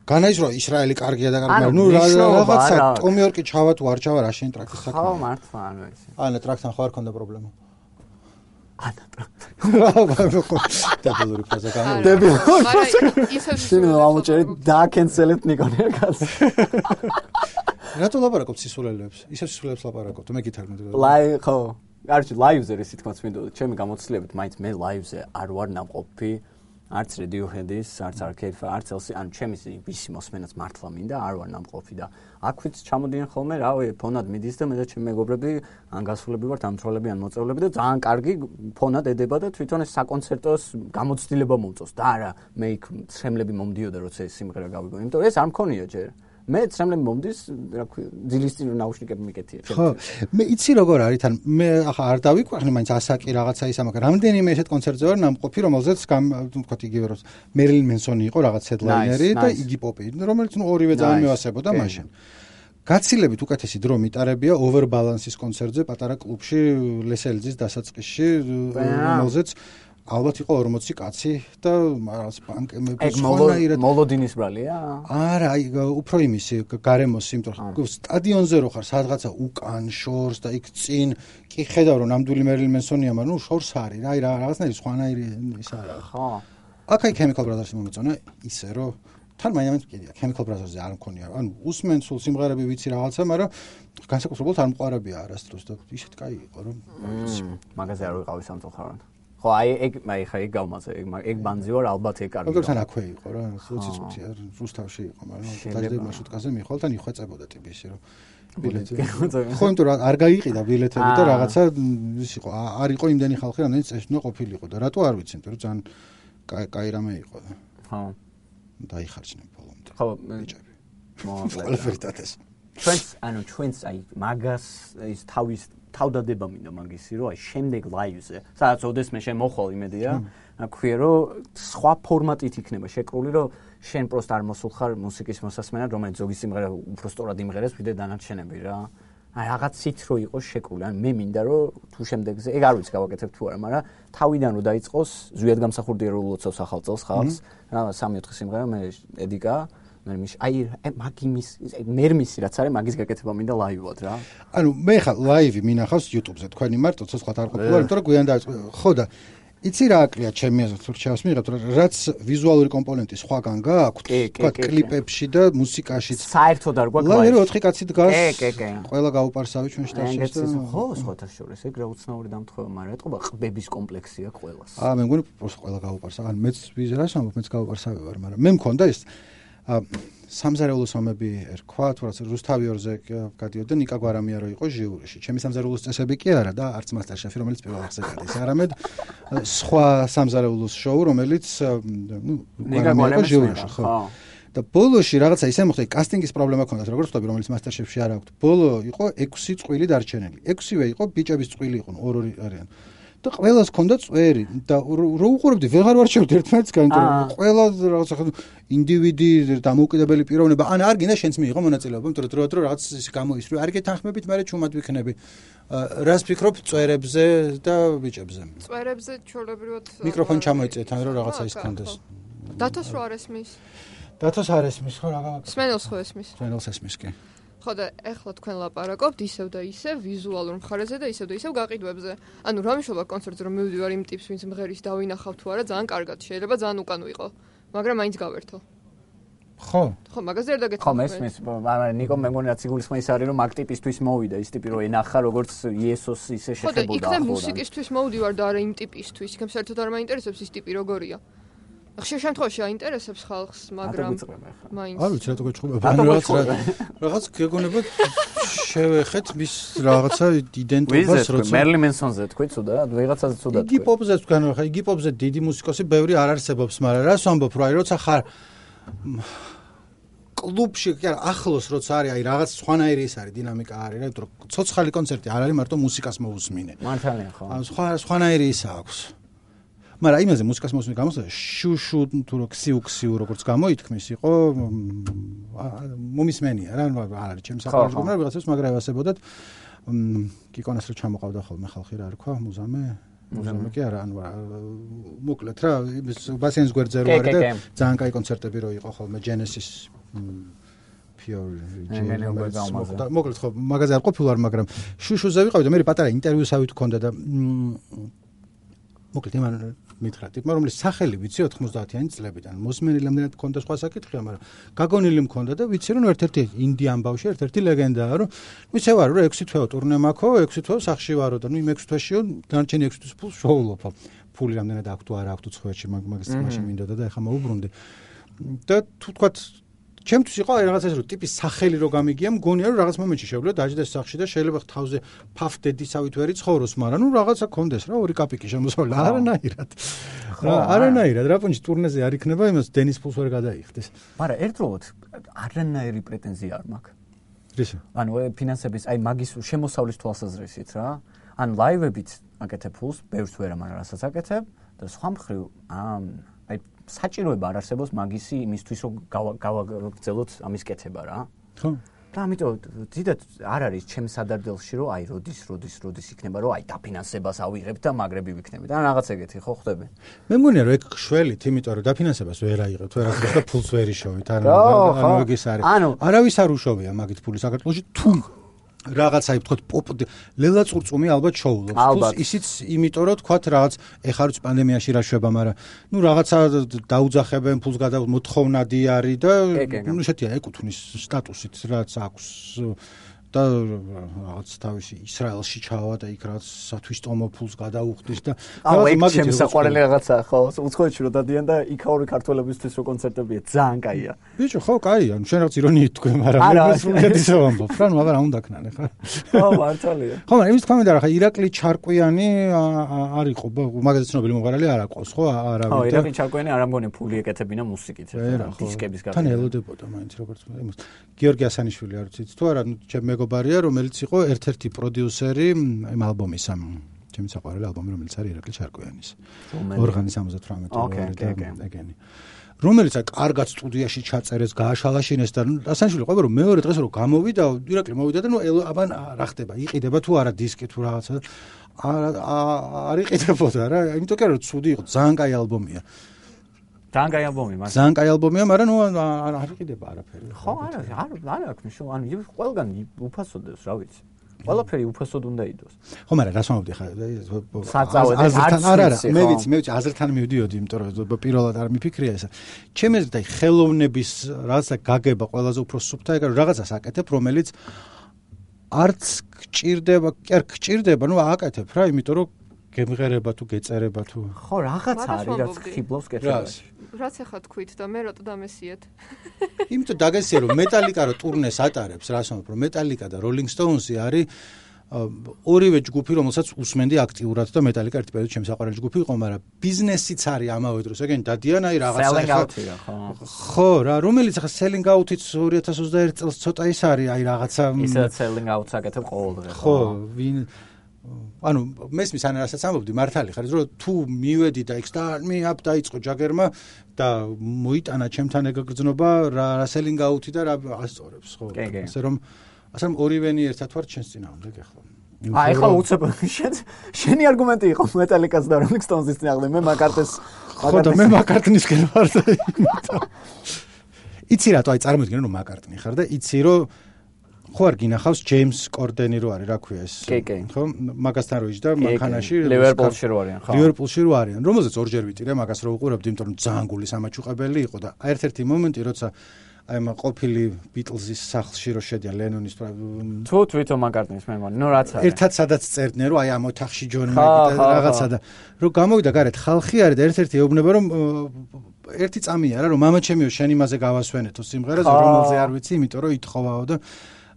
განაის რომ ისრაელი კარგია და კარგი მაგრამ ნუ რაღაცა ტომი ორკი ჩავა თუ არ ჩავა რა შენ ტრაქის საქმე ხო მართლა ანუ ესე ანა ტრაქთან ხო არ ქონდა პრობლემა ანა დებილური ფაზა გამო დებილური მაგრამ ისევ შენ ამოჭერი დააკენსელეთ ნიკონია კაცი რატო ლაპარაკობ სისულელებს ისევ სისულელებს ლაპარაკობ მე გითხრა ლაი ხო არჩი ლაივზე რისი თქმა მინდოდა ჩემი გამოცდილებით მაინც მე ლაივზე არ ვარ ნამყოფი არც Radiohead-ის, არც Arcade-ს, არც ელსი, ანუ ჩემი ვისი მოსმენაც მართლა მინდა, არ ვარ ნამყოფი და აქვეც ჩამოდიან ხოლმე, რავი, ფონად მიდის და მე და ჩემი მეგობრები ან გასულები ვართ, ან მცროლები, ან მოწევლები და ძალიან კარგი ფონად ედება და თვითონ ეს საკონცერტოს გამოცდილება მომწონს და არა, მე იქ ცრემლები მომდიოდა, როცა ეს სიმღერა გავიგო, იმიტომ რომ ეს არ მქონია ჯერ. მე ცრემლები მომდის, რა ქვია, ძილის წინ ნაუშნიკები მიკეთია. ხო, მე იცი როგორ არის, თან მე ახლა არ დავიყვახნე, მაინც ასაკი რაღაცა ისა, მაგრამ რამდენიმე ესეთ კონცერტზე ვარ ნამყოფი, რომელზეც თქვათ იგივე რომ მერილინ მენსონი იყო რაღაც ჰედლაინერი და იგი პოპი, რომელიც ნუ ორივე ძალიან მევასებოდა მაშინ. გაცილებით უკეთესი დრო მიტარებია ოვერბალანსის კონცერტზე პატარა კლუბში ლესელიძის დასაწყისში, რომელზეც ალბათ იყო ორმოცი კაცი და რაღაც პანკები სხვანაირად მოლოდინის ბრალია? არა, აი უფრო იმისი გარემოს, იმიტომ რომ სტადიონზე რო ხარ, სადღაცა უკან შორს და იქ წინ კი ხედავ რომ ნამდვილი მერილინ მენსონია, მაგრამ ნუ შორს არის რა, აი რაღაცნაირი სხვანაირი ის არა. ხო. აქ აი Chemical Brothers-ი მომეწონა ისე რომ თან მაინც კიდია Chemical Brothers-ზე არ მქონია. ანუ უსმენ სულ სიმღერები ვიცი რაღაცა, მაგრამ განსაკუთრებულად არ მყარებია არასდროს და ისეთ კაი იყო რომ მაგაზე არ ვიყავი სამწუხაროდ. ხო, აი ეგ აი ხა ეგ გავმაზე, ეგ ეგ ბანძი ვარ, ალბათ ეგ კარგი. როგორ თან აქვე იყო რა, ოცი წუთი არ რუსთავში იყო, მაგრამ დაჟდე მარშრუტკაზე მიხვალ თან იხვეწებოდა ტიპის რომ ბილეთი. ხო, იმიტომ რომ არ გაიყიდა ბილეთები და რაღაცა ის იყო, არ იყო იმდენი ხალხი, რამდენიც წესნა ყოფილიყო და რატო არ ვიცი, იმიტომ რომ ძალიან კაი რამე იყო და. ხო. დაიხარჯნენ ბოლომდე. ხო, ბიჭები. ყველაფერტატეს. ჩვენს, ანუ ჩვენს აი მაგას ის თავის თავდადება მინდა მაგისი რომ აი შემდეგ ლაივზე სადაც ოდესმე შენ მოხვალ იმედია აქვია რომ სხვა ფორმატით იქნება შეკრული რომ შენ პროსტ არ მოსულ ხარ მუსიკის მოსასმენად რომელიც ზოგი სიმღერა უფრო სწორად იმღერეს ვიდრე დანარჩენები რა აი რაღაცით რო იყოს შეკრული ან მე მინდა რომ თუ შემდეგზე ეგ არ ვიცი გავაკეთებ თუ არა მაგრამ თავიდან რო დაიწყოს ზვიად გამსახურდია რომ ლოცავს ახალ წელს ხალხს რა სამი ოთხი სიმღერა მე ედიკა მე მის აი მაგიმის მერმისი რაც არის მაგის გაკეთება მინდა ლაივად რა. ანუ მე ხა ლაივი მინახავს YouTube-ზე თქვენი მარტო ცოცხლად არ ყოფილა, იმიტომ რომ გვიან დაიწყო. ხო და იცი რა აკლია ჩემი აზრით თუ რჩევას მიღებთ, რაც ვიზუალური კომპონენტი სხვაგან გააქვთ, თქვა კლიპებში და მუსიკაშიც. საერთოდ არ გვაქვს. ლაივი ოთხი კაცი დგას. კი, კი, კი. ყველა გაუპარსავი ჩვენ შტატში. ხო, სხვათა შორის ეგ რა უცნაური დამთხევა, მაგრამ ეტყობა ყბების კომპლექსია ყველას. აა მე მგონი პროსტ ყველა გაუპარსა. ან მეც ვიზრას ამბობ, მეც გაუპარსავი ვარ, მაგრამ მე მქონდა ეს სამზარეულოს ომები ერქვა, თუ რაც რუსთავიორზე გადიოდა და ნიკა გვარამია რო იყო ჟიურიში. ჩემი სამზარეულოს წესები კი არა და არც მასტერშეფი, რომელიც პირველ რიგზე გადის, არამედ სხვა სამზარეულოს შოუ, რომელიც ნუ გვარამია იყო ჟიურიში, ხო. და ბოლოში რაღაცა ისე მოხდა, კასტინგის პრობლემა ჰქონდათ, როგორც ვთქვი, რომელიც მასტერშეფში არ აქვს. ბოლო იყო ექვსი წყვილი დარჩენილი. ექვსივე იყო ბიჭების წყვილი იყვნენ, ორ-ორი არიან. და ყველას ჰქონდა წვერი და რო უყურებდი ვეღარ ვარჩევდი ერთმანეთსგან, იმიტომ რომ ყველა რაღაცა ინდივიდი დამოუკიდებელი პიროვნება, ან არ გინდა შენც მიიღო მონაწილეობა, იმიტომ რომ დროა დრო რაღაც ის გამოისრული, არ გეთანხმებით, მაგრამ ჩუმად ვიქნები. რას ფიქრობ წვერებზე და ბიჭებზე? წვერებზე ჩვეულებრივად მიკროფონი ჩამოიწიეთ, ან რომ რაღაცა ის ქონდეს. დათოს რო არ ესმის? დათოს არ ესმის, ხო რა გააკეთე? სმენელს ხო ესმის? სმენელს ესმის კი. ხო და ეხლა თქვენ ლაპარაკობთ ისევ და ისევ ვიზუალურ მხარეზე და ისევ და ისევ გაყიდვებზე. ანუ რა მნიშვნელობა კონცერტზე რომ მივდივარ იმ ტიპს, ვინც მღერის დავინახავ თუ არა, ძალიან კარგად, შეიძლება ძალიან უკან ვიყო, მაგრამ მაინც გავერთო. ხო. ხო, მაგაზე არ დაგეთქვა. ხო, მესმის, მაგრამ ნიკო მე მგონი რაც იგულისხმის არის რომ მაგ ტიპისთვის მოვიდა, ის ტიპი რომ ენახა როგორც იესოს ისე შეხებოდა. ხო და იქნებ მუსიკისთვის მოვდივარ და არა იმ ტიპისთვის, იქნებ საერთოდ არ მაინტერესებს ის ტიპი როგორია. ხშირ შემთხვევაში აინტერესებს ხალხს, მაგრამ მაინც არ ვიცი რატო გეჩხუბება, რაღაც რაღაც გეგონება შევეხეთ მის რაღაცა იდენტობას, როცა მერლინ მენსონზე თქვი ცუდად, ვიღაცაზე ცუდად თქვი. იგი პოპზე თქვენ ხა, იგი პოპზე დიდი მუსიკოსი ბევრი არ არსებობს, მაგრამ რას ვამბობ, რა როცა ხარ კლუბში, კი არა, ახლოს როცა არის, აი რაღაც სხვანაირი ის არის, დინამიკა არის, რა, იმიტომ რომ ცოცხალი კონცერტი არ არის, მარტო მუსიკას მოусმინე. მართალია ხო. ან სხვა სხვანაირი ის აქვს. მაგრამ იმაზე მუსიკას მოსმენი გამოსა შუშუ თუ რო ქსიუ ქსიუ როგორც გამოითქმის იყო მომისმენია რა არ არის ჩემს საყურებლად მაგრამ ვიღაცას მაგრა ევასებოდათ კიკონას რო ჩამოყავდა ხოლმე ხალხი რა რქვა მუზამე მუზამე კი არა ანუ მოკლედ რა ბასენს გვერდზე რო არის და ძალიან კაი კონცერტები რო იყო ხოლმე Genesis Pure მოკლედ ხო მაგაზე არ ყოფილვარ მაგრამ შუშუზე ვიყავი და მე პატარა ინტერვიუსავით მქონდა და მოკლედ იმან მითხრა ტიპმა რომელიც სახელი ვიცი ოთხმოცდაათიანი წლებიდან მოსმენილი რამდენად მქონდა სხვა საკითხია მაგრამ გაგონილი მქონდა და ვიცი რომ ერთ-ერთი ინდიან ბავშვი ერთ-ერთი ლეგენდაა რომ ვიცე ვარ რომ ექვსი თვეო ტურნე მაქვს ექვსი თვეო სახლში ვარო და ნუ იმ ექვსი თვეშიო დანარჩენი ექვსი თვის ფულს შოულობ ფული რამდენად აქვს თუ არა აქვს თუ ცხვერში მაგის მაშინ მინდოდა და ეხა მოუბრუნდი და თუ თქვათ ჩემთვის იყო რაღაც ეს რომ ტიპის სახელი რო გამიგია მგონია რომ რაღაც მომენტში შეგვიძლია დაждდეს სახში და შეიძლება თავზე ფაფდედისავით ვერ იცხოვროს მაგრამ ნუ რაღაცა კონდეს რა ორი კაპიკი შემოსავლა არანაირად რა არანაირად რა პონჩი ტურნეზე არ იქნება იმას დენის ფულს ვერ გადაიხდეს მაგრამ ერთდროულად არანაირი პრეტენზია არ მაქვს რისი ანუ ფინანსების აი მაგის შემოსავლის თვალსაზრისით რა ან ლაივებით აკეთებ ფულს ბევრს ვერა მაგრამ რასაც აკეთებ და სხვა მხრივ აი საჭიროება არ არსებობს მაგისი იმისთვის რომ გავაგრძელოთ ამის კეთება რა. ხო. და ამიტომ დიდად არ არის ჩემს სადარდელში რომ აი როდის როდის როდის იქნება რომ აი დაფინანსებას ავიღებ და მაგრები ვიქნები. და რაღაც ეგეთი ხო ხდები. მე მგონია რომ ეგ შველით, იმიტომ რომ დაფინანსებას ვერ აიღებთ, ვერ აიღებთ და ფულს ვერ იშოვით. ანუ ანუ ეგ ის არის. არავის არ უშოვია მაგით ფული საქართველოში თუ რაღაცაი ვთქვათ პოპ ლელა წურწუმი ალბათ შოულობს თუმცა ისიც იმიტომ რომ თქვათ რაღაც ეხლა როც პანდემიაში რა შვება მაგრამ ნუ რაღაცა დაუძახებენ ფულს გადა მოთხოვნადი არის და ნუ შეთია ეკუთვნის სტატუსით რაც აქვს და რაღაც თავისი ისრაელში ჩავა და იქ რაც სათვისტომო ფულს გადაუხდის და რაღაც ჩემს საყვარელი რაღაცა ხო უცხოეთში რო დადიან და იქაური ქართველებისთვის რო კონცერტებია ძალიან კაია ბიჭო ხო კაია ნუ შენ რაღაც ირონიით თქვენ მაგრამ მე სრულიად ისე ვამბობ რა ნუ აბა რა უნდა ქნან ეხლა ხო მართალია ხო მაგრამ იმის თქვა მინდა რა ხა ირაკლი ჩარკვიანი არ იყო მაგაზე ცნობილი მომღერალი არ აყავს ხო არავინ ხო ირაკლი ჩარკვიანი არ ამგონი ფული ეკეთებინა მუსიკით დისკების გაკეთება თან ელოდებოდა მაინც როგორც იმას გიორგი ასანიშვილი არ ვიცით თუ არა ნუ ჩემ მეგობარია რომელიც იყო ერთ-ერთი პროდიუსერი იმ ალბომის ამ ჩემი საყვარელი ალბომი რომელიც არის ირაკლი ჩარკვიანის ორღანი სამოცდათვრამეტი ეგენი რომელიც კარგად სტუდიაში ჩაწერეს გააშალაშინეს და ასანიშვილი ყვება რომ მეორე დღეს რომ გამოვიდა ირაკლი მოვიდა და ნუ აბა რა ხდება იყიდება თუ არა დისკი თუ რაღაცა არ იყიდებოდა რა იმიტომ კი რომ ცუდი იყო ძალიან კაი ალბომია ძალიან კაი ალბომია მაგრამ ძალიან კაი ალბომია მაგრამ ნუ არ იყიდება არაფერი ხო არა არ არ აქვს მნიშვნელობა ანუ ყველგან უფასოდებს რა ვიცი ყველაფერი უფასოდ უნდა იდოს ხო მაგრამ რას ვამბობდი ხა საწავედი არ არა მე ვიცი მე ვიცი აზრთან მივდიოდი იმიტომ რომ პირველად არ მიფიქრია ესა ჩემს და ხელოვნების რაღაცა გაგება ყველაზე უფრო სუფთა ეგ რაღაცას აკეთებ რომელიც არც გჭირდება კი არ გჭირდება ნუ აკეთებ რა იმიტომ რომ გემღერება თუ გეწერება თუ ხო რაღაც არის რაც ხიბლავს კეთებაში რაც ახლა თქვით და მე რატო დამესიეთ იმიტომ დაგესიე რომ მეტალიკა რო ტურნეს ატარებს რას ვამბობ რომ მეტალიკა და როლინგ სტოუნსი არის ორივე ჯგუფი რომელსაც უსმენდი აქტიურად და მეტალიკა ერთ პერიოდში ჩემს საყვარელი ჯგუფი იყო მაგრამ ბიზნესიც არის ამავე დროს ეგენ დადიან აი რაღაცა ხო რა რომელიც ახლა selling out-იც ორი ათას ოცდაერთი წელს ცოტა ის არის აი რაღაცა ისაც selling out-ს აკეთებ ყოველდღე ხო ვინ ანუ მესმის ან რასაც ამბობდი მართალი ხარ რომ თუ მივედი და იქ start me up დაიწყო ჯაგერმა და მოიტანა ჩემთან ეგ გრძნობა რა selling out-ი და რა ასწორებს ხო ასე რომ ასე რომ ორივენი ერთად ვარ ჩვენს წინააღმდეგ ახლა აი ხა უცებ შენ შენი არგუმენტი იყო მეტალიკას და როლინგ სტოუნსის წინააღმდეგ მე მაკარტეს ხო და მე მაკარტნისკენ ვარ და იცი რატო აი წარმოიდგინე რომ მაკარტნი ხარ და იცი რომ ხო არ გინახავს ჯეიმს კორდენი რო არის რა ქვია ეს ხო მაგასთან რო იჯდა მანქანაში ლივერპულში რო არიან ხო ლივერპულში რო არიან რომელზეც ორჯერ ვიტირე მაგას რო უყურებდი იმიტომ რომ ძალიან გული სამაჩუყებელი იყო და ერთ-ერთი მომენტი როცა აი ამ ყოფილი ბიტლზის სახლში რო შედიან ლენონის თუ თვითონ მაკარტნის მე მგონი ნუ რაც არის ერთად სადაც წერდნენ რომ აი ამ ოთახში ჯონ მეკი და რაღაცა და რო გამოვიდა გარეთ ხალხი არის და ერთ-ერთი ეუბნება რომ ერთი წამია რა რომ მამა ჩემიო შენ იმაზე გავასვენეთო სიმღერაზე რომელზე არ ვიცი იმიტომ რომ ითხოვაო და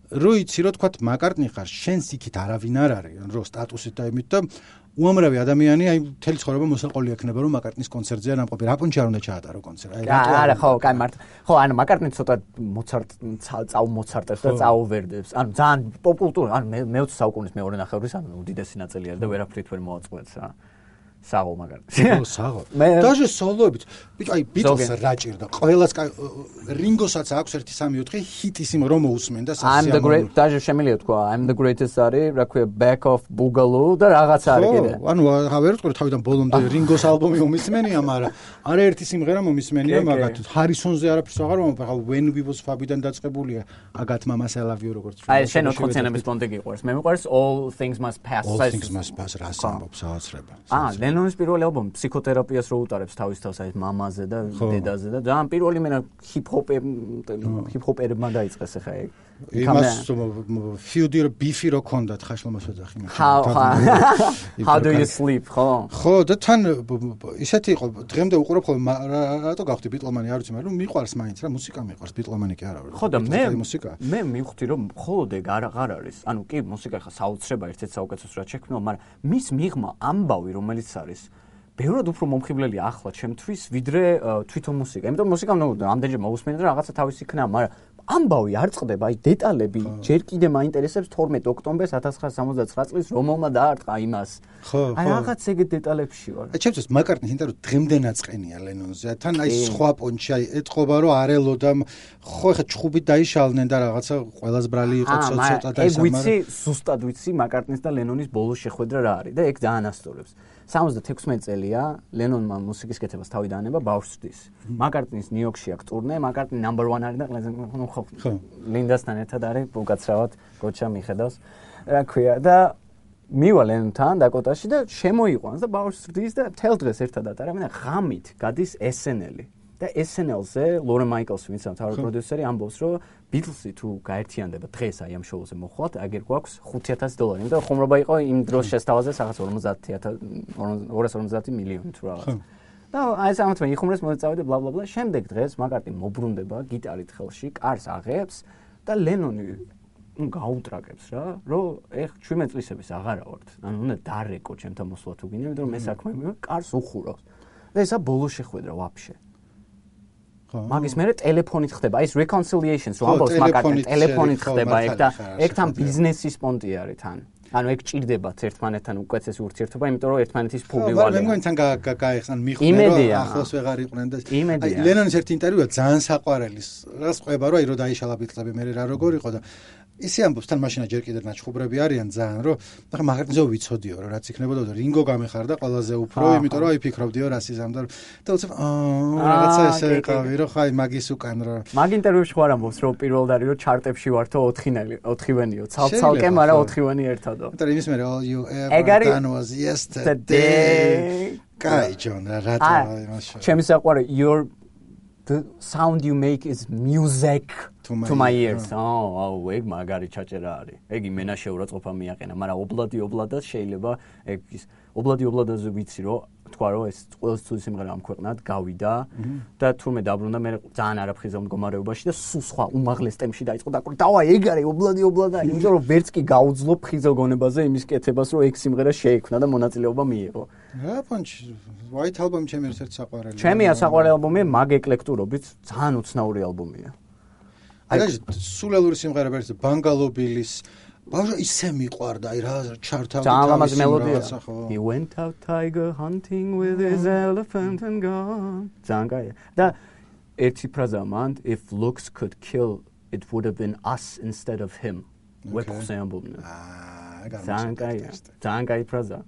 რო იცი რომ თქვა მაკარტნი ხარ შენს იქით არავინ არ არის რო სტატუსით და იმით და უამრავი ადამიანი აი მთელი ცხოვრება მოსაყოლი ექნება რომ მაკარტნის კონცერტზე არ ამყოფი რა პონჩი არ უნდა ჩაატარო კონცერტი აი რატო არა ხო კაი მართ ხო ანუ მაკარტნი ცოტა მოცარტ წაუ მოცარტებს და წაუვერდებს ანუ ძალიან პოპკულტურა ანუ მე-მეოცე საუკუნის მეორე ნახევრის ანუ უდიდესი ნაწილი არის და ვერაფრით ვერ მოაწყვეტს რა საღო მაგარი საღო დაჟე სოლოებით ბიჭო აი ბიტლს რა ჭირდა ყველას რინგოსაც აქვს ერთი სამი ოთხი ჰიტის იმ რომ მოусმენ და I'm the great დაჟე შემიძლია თქვა I'm the greatest არის რა ქვია back of boogaloo და რაღაც არის კიდე ანუ ვერ ვიტყვი თავიდან ბოლომდე რინგოს ალბომი მომისმენია მაგრამ არა ერთი სიმღერა მომისმენია მაგათ ჰარისონზე არაფერს აღარ მომბ ახლა when we was fabიდან დაწყებულია აგათ მამას I love you როგორც აი შენ ოთხოციანების პონტი გიყვარს მე მიყვარს all things must pass all things must pass რა სამბობს საოცრება აა ლენონის პირველი ალბომი ფსიქოთერაპიას რო utარებს თავის თავს აი მამაზე და დედაზე და ძალიან პირველი მენა ჰიპ-ჰოპ ჰიპ-ჰოპერმა დაიწყეს ახლა ეგ იმას ფიუდი რო ბიფი რო ქონდათ ხაშლომას ვეძახი მაგრამ how do you sleep ხო ხო და თან ისეთი იყო დღემდე უყურებ ხოლმე რატო გავხდი ბიტლომანი არ ვიცი მაგრამ მიყვარს მაინც რა მუსიკა მიყვარს ბიტლომანი კი არა ხო და მე მე მივხვდი რომ მხოლოდ ეგ არ აღარ არის ანუ კი მუსიკა ხა საოცრება ერთ-ერთ საუკეთესო რაც შექმნა მაგრამ მის მიღმა ამბავი რომელიც არის ბევრად უფრო მომხიბლელი ახლა ჩემთვის ვიდრე თვითონ მუსიკა იმიტომ მუსიკა ნუ ამდენჯერ მოусმენდი და რაღაცა თავისი იქნება მაგრამ ამბავი არ წყდება აი დეტალები ჯერ კიდე მაინტერესებს თორმეტ ოქტომბერს ათას ცხრაასა სამოცდათრამეტ წლის რომელმა დაარტყა იმას ხო აი რაღაც ეგეთ დეტალებში ვარ აი ჩემთვის მაკარტნის ინტერვიუ დღემდე ნაწყენია ლენონზე თან აი სხვა პონჩი აი ეთყობა რომ არელო და ხო ეხა ჩხუბით დაიშალნენ და რაღაცა ყველას ბრალი იყო ცოტა და ისე ეგ ვიცი ზუსტად ვიცი მაკარტნის და ლენონის ბოლოს შეხვედრა რა არის და ეგ ძალიან ასწორებს სამოცდათექვსმეტი წელია ლენონმა მუსიკის კეთებას თავი დაანება ბავშვთვის მაკარტნის ნიუ-იორკში აქვს ტურნე მაკარტნი number one არის და ნუ ხო ლინდასთან ერთად არის უკაცრავად გოჩა მიხედავს რა ქვია და მივა ლენონთან დაკოტაში და შემოიყვანს და ბავშვთვის და თელ დღეს ერთად ატარებენ და ღამით გადის ეს εν ელი და ეს εν ელზე ლორენ მაიკლსი ვინც ამთავარ პროდიუსერი ამბობს რომ ბიტლსი თუ გაერთიანდება დღეს აი ამ შოუზე მოხვალთ აგერ გვაქვს ხუთი ათასი დოლარი იმიტომ ხუმრობა იყო იმ დროს შესთავაზე რაღაც ორმოცდაათი ორას ორმოცდაათი მილიონი თუ რაღაც და აი ეს ამათმა იხუმრეს მოწავედი ბლა ბლა ბლა შემდეგ დღეს მაკარტნი მობრუნდება გიტარით ხელში კარს აღებს და ლენონი ნუ გაუტრაკებს რა რომ ეხ ჩვენმე წლისების აღარა ვართ ანუ უნდა დარეკო ჩემთან მოსვლა თუ გინდა იმიტომ რომ მე საქმე მე კარს უხურავს და ესა ბოლო შეხვედრა ვაფშე მაგის მერე ტელეფონით ხდება აი ეს reconciliations რო ამბობს მაკარტნი ტელეფონით ხდება ეგ და ეგ თან ბიზნესის პონტი არის თან ანუ ეგ ჭირდებათ ერთმანეთთან უკეთესი ურთიერთობა იმიტომ რომ ერთმანეთის ფული ვალე მე მგონი თან გაიხსნა მიხვდნენ რომ ახლოს ვეღარ იყვნენ და აი ლენონის ერთ ინტერვიუა ძალიან საყვარელი რას ყვება რომ აი რო დაიშალა ბიტლები მე რა როგორ იყო და ისე ამბობს თან მაშინა ჯერ კიდევ ნაჩხუბრები არიან ძალიან რომ ახლა მაგარტნიზე ვიცოდიო რომ რაც იქნებოდა და რინგო გამეხარდა ყველაზე უფრო იმიტომ რომ აი ფიქრობდიო რას იზამდა და უცებ აა რაღაცა ესე ყავი რომ ხაი მაგის უკან რომ მაგ ინტერვიუში ხარ ამბობს რომ პირველად არის რომ ჩარტებში ვართო ოთხინელი ოთხივენიო ცალ-ცალკე მაგრამ ოთხივენი ერთადო იმიტომ იმის მერე all you ever done was yesterday კაი ჯონ რა რატო იმაში ჩემი საყვარი your the sound you make is music to my, to my ears. Oh, oh, ეგ მაგარი ჩაჭერა არის. ეგ იმენაში უბრალოდ მიაყენა, მაგრამ ობლადი ობლადად შეიძლება ეგ ის ობლადი ობლადაზე ვიცი რომ თქვა რომ ეს ყველას თუ სიმღერა ამ ქვეყნად გავიდა და თურმე დაბრუნდა მე ძალიან არაფრთხილ მდგომარეობაში და სულ სხვა უმაღლეს ტემპში დაიწყო და დავა ეგ არის ობლადი ობლადა იმიტომ რომ ვერც კი გაუძლო ფხიზელ გონებაზე იმის კეთებას რომ ეგ სიმღერა შეიქმნა და მონაწილეობა მიიღო. რა პონჩი White Album ჩემი ერთ-ერთი საყვარელი. ჩემი საყვარელი ალბომია მაგ ეკლექტურობით ძალიან უცნაური ალბომია. აი სულელური სიმღერა ვერსია Bungalow Bills ბავშვი ისე მიყვარდა აი რა ჩართავდა თავის მელოდია. He went out tiger hunting with his elephant and gone. ძალიან და ერთი ფრაზა მანდ if looks could kill it would have been us instead of him. ვეფხზე ამბობდნენ. აა ძალიან ძალიან კაი ფრაზა.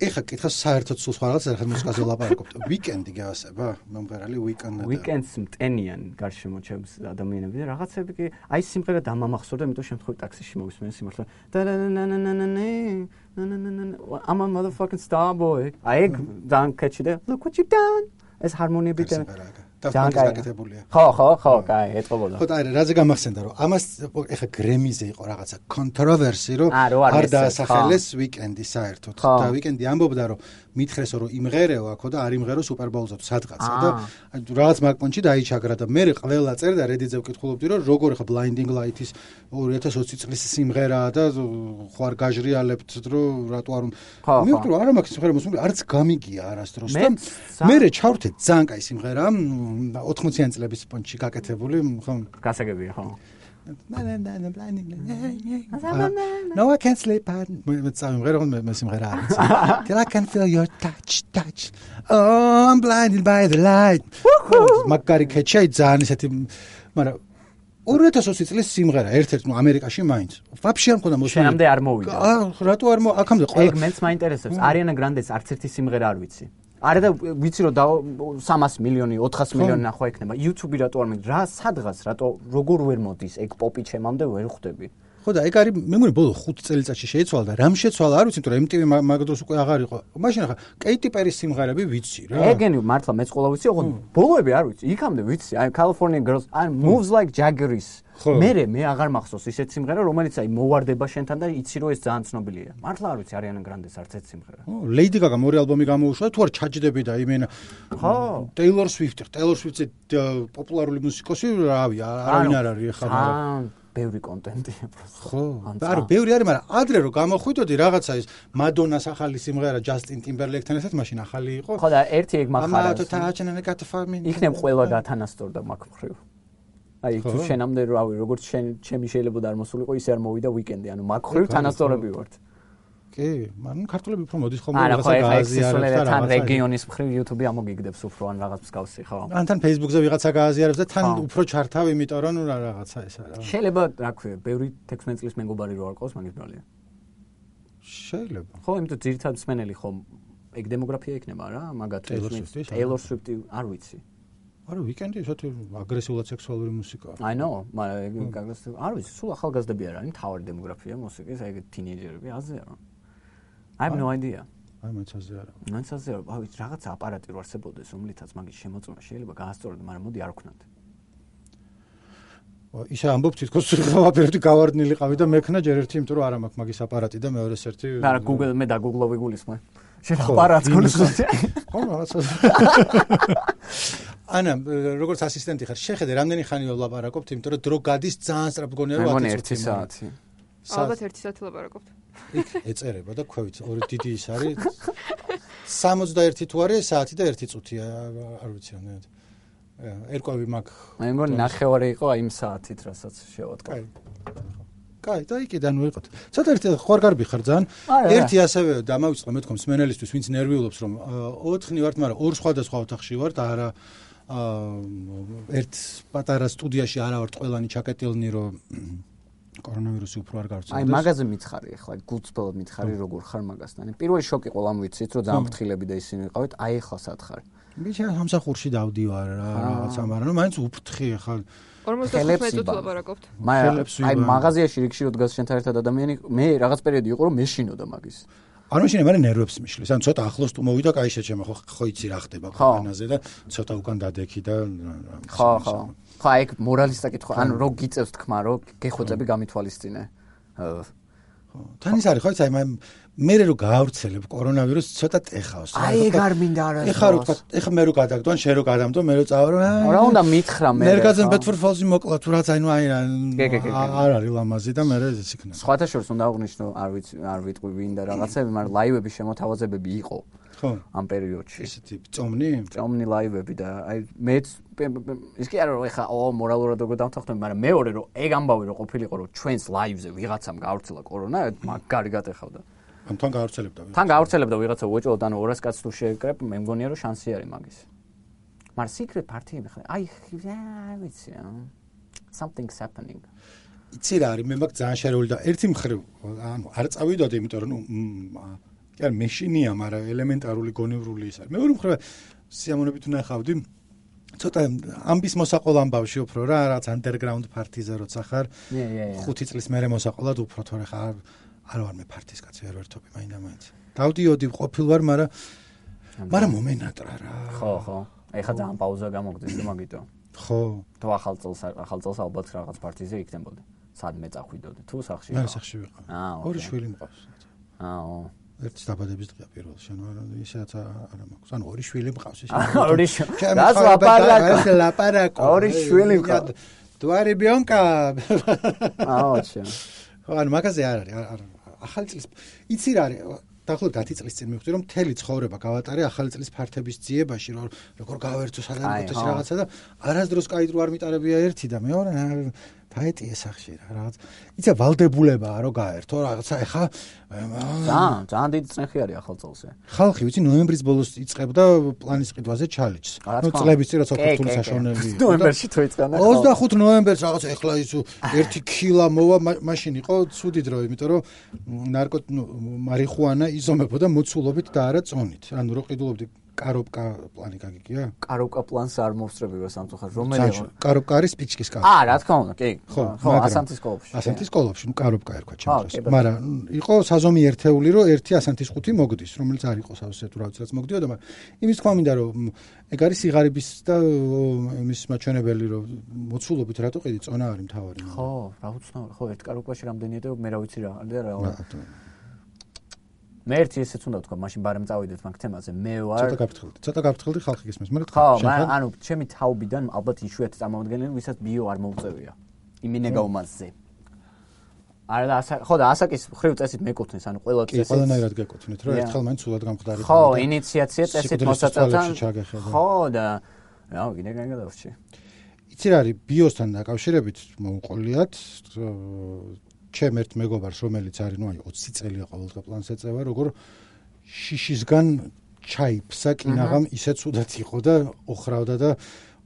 ეხა კითხავს საერთოდ სულ სხვა რაღაცა ახლა მუსიკაზე ლაპარაკობთ. Weekend-ი გასება, მომღერალი Weekend-ი. Weekend-ს მტენიან გარშემო ჩემს ადამიანები და რაღაცები კი აი სიმღერა დამამახსოვრდა, იმიტომ შემთხვევით ტაქსიში მოვისმენ სიმართლე. I'm a motherfucking star boy. აი ძალიან კეჩი და look what you done. ეს ჰარმონიები და დაგაკეთებულია. ხო, ხო, ხო, კაი, ეთყობოდა. ხო, აი, რაზე გამახსენდა რომ ამას ეხა გრემიზე იყო რაღაცა კონტროვერსი რომ არ დაასახელეს Weekend-ი საერთოდ. და Weekend-ი ამბობდა რომ მითხრესო რომ იმღერეო აქო და არ იმღერო Super-Bowl-ზე თუ სადღაცა და რაღაც მაგპონჩი დაიჩაგრა და მე ყველა წერდა Reddit-ზე ვკითხულობდი რომ როგორ ეხა Blinding Light-ის ორი ათას ოცი წლის სიმღერაა და ხო არ გაჟრიალებთ რომ რატო არ მივხვდი რომ არა მაქვს სიმღერა მოსული არც გამიგია არასდროს და მე ჩავრთე ძალიან კაი სიმღერა ოთხმოციანი წლების პონჩი გაკეთებული ხო გასაგებია ხო No I can't sleep მე წავიმღერო მე სიმღერა არის Till I can feel your touch touch Oh I'm blinded by the light მაგარი კეჩი ძალიან ისეთი მაგრამ ორი ათას ოცი წლის სიმღერა ერთ-ერთ ნუ ამერიკაში მაინც ვაფშე არ მქონდა მოსული შენამდე არ მოვიდა აა რატო არ მო აქამდე ყველა ეგ მეც მაინტერესებს არიანა გრანდეს არც ერთი სიმღერა არ ვიცი არა და ვიცი რომ სამას მილიონი ოთხას მილიონი ნახვა ექნება YouTube-ი რატო არ მიგ რა სადღაც რატო როგორ ვერ მოდის ეგ პოპი ჩემამდე ვერ ხვდები ხო და ეგ არის მე მგონი ბოლო ხუთ წელიწადში შეიცვალა და რამ შეცვალა არ ვიცი იმიტომ რომ M T V მაგ დროს უკვე აღარ იყო მაშინ ახლა Katy Perry-ის სიმღერები ვიცი რა ეგენი მართლა მეც ყოლა ვიცი ოღონდ ბოლოები არ ვიცი იქამდე ვიცი აი California Girls and Moves Like Jagger-ის მე მე აღარ მახსოვს ისეთ სიმღერა რომელიც აი მოვარდება შენთან და იცი რომ ეს ძალიან ცნობილია მართლა არ ვიცი Ariana Grande-ს არც ერთ სიმღერა ო Lady Gaga-მ ორი ალბომი გამოუშვა თუ არ ჩაჯდები და იმენა ხო Taylor Swift Taylor Swift-ზე პოპულარული მუსიკოსი რავი არავინ არ არის ახლა ბევრი კონტენტია პროსტო. ხო. არა, ბევრი არის, მაგრამ ადრე რომ გამოხვიდოდი რაღაცა ის Madonna-ს ახალი სიმღერა Justin Timberlake-თან ერთად მაშინ ახალი იყო. ხო და ერთი ეგ მახარავს. იქნებ ყველა გათანასწორდა მაგ მხრივ. აი თუ შენამდე რავი, როგორც შენ ჩემი შეიძლება და არ მოსულიყო, ისე არ მოვიდა Weekend-ი, ანუ მაგ მხრივ თანასწორები ვართ. კი, მაგრამ ქართულები უფრო მოდის ხოლმე რაღაცა გააზიარებს და თან რეგიონის მხრივ YouTube-ი ამოგიგდებს უფრო ან რაღაც მსგავსი, ხო? ან თან Facebook-ზე ვიღაცა გააზიარებს და თან უფრო ჩართავ, იმიტომ რომ ნუ რაღაცა ეს არა. შეიძლება, რა ქვია, ბევრი თექვსმეტ წლის მეგობარი რო არ ყავს, მაგის ბრალია. შეიძლება. ხო, იმიტომ ძირითადად მსმენელი ხო ეგ დემოგრაფია იქნება რა, მაგათ Taylor Swift-ი არ ვიცი. არა, Weekend-ი ისეთი აგრესიულად სექსუალური მუსიკაა. I know, მაგრამ ეგ არ ვიცი, სულ ახალგაზრდები არ არის, თავი დემოგრაფია მუსიკის, ეგ თინეიჯერები აზია რა. I have no idea. აი მეც აზე არა. მეც აზე არა. აი რაღაცა აპარატი რო არსებობდეს, რომლითაც მაგის შემოწმება შეიძლება გაასწორდეს, მაგრამ მოდი არ ვქნათ. ისე ამბობ თითქოს ყველაფერი გავარდნილიყავი და მექნა ჯერ ერთი, იმიტომ რომ არა მაქვს მაგის აპარატი და მეორეს ერთი. არა, Google მე და Google-ოვი გულისხმე. შენ აპარატს გულისხმობ. ხო, რაღაცა. ანა, როგორც ასისტენტი ხარ, შეხედე, რამდენი ხანი ვლაპარაკობთ, იმიტომ რომ დრო გადის ძალიან სწრაფ გონია რომ ათი ერთი საათი. ალბათ ერთი საათი ვლაპარაკობთ. იქ ეწერება და ქვევით ორი დიდი ის არის. სამოცდაერთი თუ არის საათი და ერთი წუთია, არ ვიცი რამდენად. ერკვევი მაქვს. მე მგონი ნახევარი იყო აი იმ საათით, რასაც შევატყო. კაი. კაი, და იქიდან ვიყოთ. ცოტა ერთი ხوار გარბი ხარ ძალიან. ერთი ასევე დამავიწყო მე თქო მსმენელისთვის, ვინც ნერვიულობს რომ ოთხნი ვართ, მაგრამ ორ სხვადასხვა ოთახში ვართ, არა ერთ პატარა სტუდიაში არა ვართ ყველანი ჩაკეტილნი რომ კორონავირუსი უფრო არ გავრცელდეს. აი მაგაზე მითხარი ახლა, გულწრფელად მითხარი როგორ ხარ მაგასთან. პირველი შოკი ყოლამ ვიცით რომ ძალიან ფრთხილები და ისინი ვიყავით, აი ახლა სად ხარ? ბიჭა სამსახურში დავდივარ რა, რაღაცა, მაგრამ ნუ მაინც უფრთხი ახლა ორმოცდახუთმეტ წუთს ვლაპარაკობთ. აი მაგაზიაში რიგში რო დგას შენთან ერთად ადამიანი, მე რაღაც პერიოდი იყო რომ მეშინოდა მაგის. არ მაშინ მე ნერვებს მიშლის. ან ცოტა ახლოს თუ მოვიდა, კაი შეჩემ, ხო ხო იცი რა ხდება ქვეყანაზე და ცოტა უკან დადექი და ხო, ხო. ხო, აი მორალისტა კითხვა, ან რო გიწევს თქმა, რომ გეხოცები გამითვალისწინე. ხო. თან ის არის, ხო იცი, აი მე რო გაავრცელებ კორონავირუსს ცოტა ტეხავს. აი ეგ არ მინდა არა. ეხა რო თქვა, ეხა მე რო გადაგდო, ან შენ რო გადამდო, მე რო წავალ, რა უნდა მითხრა მე. მერგაძემ ბეთფორფალზი მოკლა თუ რაც აი ნუ აი არ არის ლამაზი და მე ეს იქნება. სხვათა შორის უნდა აღვნიშნო, არ ვიცი, არ ვიტყვი ვინ და რაღაცები, მაგრამ ლაივების შემოთავაზებები იყო. ხო. ამ პერიოდში. ესეთი წომნი? წომნი ლაივები და აი მეც ის კი არა რომ ეხა ო მორალურად როგორ დავთანხმდები, მაგრამ მეორე რომ ეგ ამბავი რომ ყოფილიყო რომ ჩვენს ლაივზე ვიღაცამ გავრცელა კორონა, მაგარი გატეხავდა. ან თან გავრცელებდა. თან გავრცელებდა ვიღაცა უეჭოდ ანუ ორას კაცს თუ შეეკრებ, მე მგონია რომ შანსი არის მაგის. მაგრამ secret party-ები ხარ. აი ვიცი, something's happening. იცი რა არის, მე მაგ ძალიან შერეული და ერთი მხრივ ანუ არ წავიდოდი, იმიტომ რომ ნუ კი არ მეშინია, მაგრამ ელემენტარული გონივრული ის არის. მეორე მხრივ სიამოვნებით ვნახავდი ცოტა ამბის მოსაყოლ ამბავში უფრო რა, რაც underground party-ზე როცა ხარ. ხუთი წლის მერე მოსაყოლად უფრო თორე ხარ არ ვარ მე პარტიის კაცი ვერ ვერთობი მაინდა მაინც. დავდიოდი ყოფილ ვარ, მაგრამ მაგრამ მომენატრა რა. ხო, ხო. ეხა ძალიან პაუზა გამოგდის და მაგიტო. ხო. თუ ახალ წელს ახალ წელს ალბათ რაღაც პარტიზე იქნებოდი. სადმე წახვიდოდი. თუ სახში. მე სახში ვიყავ. აა, ორი შვილი მყავს. აა, ერთი დაბადების დღეა პირველ შენ ისეაც არა მაქვს. ანუ ორი შვილი მყავს ის. ორი შვილი. რაც ლაპარაკო. ლაპარაკო. ორი შვილი მყავს. თუ არის ბიონკა. აა, ოჩა. ხო, ანუ მაგაზე არ არის, არ ახალი წლის იცი რა არის დაახლოებით ათი წლის წინ მივხვდი რომ მთელი ცხოვრება გავატარე ახალი წლის ფართების ძიებაში რომ როგორ გავერთო სადღაც ეს რაღაცა და არასდროს კაი დრო არ მიტარებია ერთი და მეორე ფაეტი ესახში რა რაღაც იცი ვალდებულებაა რომ გაერთო რაღაცა ეხა ძალიან ძალიან დიდი წნეხი არის ახალ წელზე ხალხი ვიცი ნოემბრის ბოლოს იწყებდა პლანის ყიდვაზე ჩალიჯს ნუ წლების წინ რაც ოქტომბრის საშონელი იყო ნოემბერში თუ იწყებდა ოცდახუთ ნოემბერს რაღაც ეხლა ის ერთი ქილა მოვა მაშინ იყო ცუდი დრო იმიტომ რომ ნარკო მარიხუანა იზომებოდა მოცულობით და არა წონით ანუ რო ყიდულობდი კაროპკა პლანი გაგიგია? კაროპკა პლანს არ მოვსწრებია სამწუხაროდ. რომელი? კაროპკა არის სპიჩკის კაცი. აა, რა თქმა უნდა, კი. ხო, ხო, ასანთის სკოლაში. ასანთის სკოლაში, ნუ კაროპკა ერქვა ჩემს. მაგრამ იყო საზომი ერთეული, რომ ერთი ასანთის ხუთი მოგდის, რომელიც არ იყო სავსე თუ რაღაც რაც მოგდიოდა, მაგრამ იმის თქვა მინდა რომ ეგ არის სიღარიბის და იმის მაჩვენებელი რომ მოცულობით რატო ყიდი წონა არის მთავარი. ხო, რა უცნაური, ხო, ერთ კაროპკაში რამდენია და მე რა ვიცი რა, და რა. მე ერთი ესეც უნდა თქვა, მაშინ ბარემ წავიდეთ მაგ თემაზე. მე ვარ ცოტა გაფრთხილდი. ცოტა გაფრთხილდი ხალხი გისმის, მაგრამ ხო, ანუ ჩემი თაობიდან ალბათ იშვიათი წარმომადგენელი, ვისაც ბიო არ მოუწევია. იმინე გაუმაზზე. არა და ასა, ხო და ასაკის ხრივ წესით მეკუთვნის, ანუ ყველა წესით. კი, ყველანაირად გეკუთვნით, რომ ერთხელ მაინც სულად გამხდარი. ხო, ინიციაცია წესით მოსაწევთან. ხო და რა, კიდე გაიგადავში. იცი რა არის ბიოსთან დაკავშირებით მოუყოლიათ ჩემ ერთ მეგობარს რომელიც არის ნუ აი ოცი წელია ყოველდღე პლანს ეწევა როგორ შიშისგან ჩაიფსა კინაღამ ისე ცუდად იყო და ოხრავდა და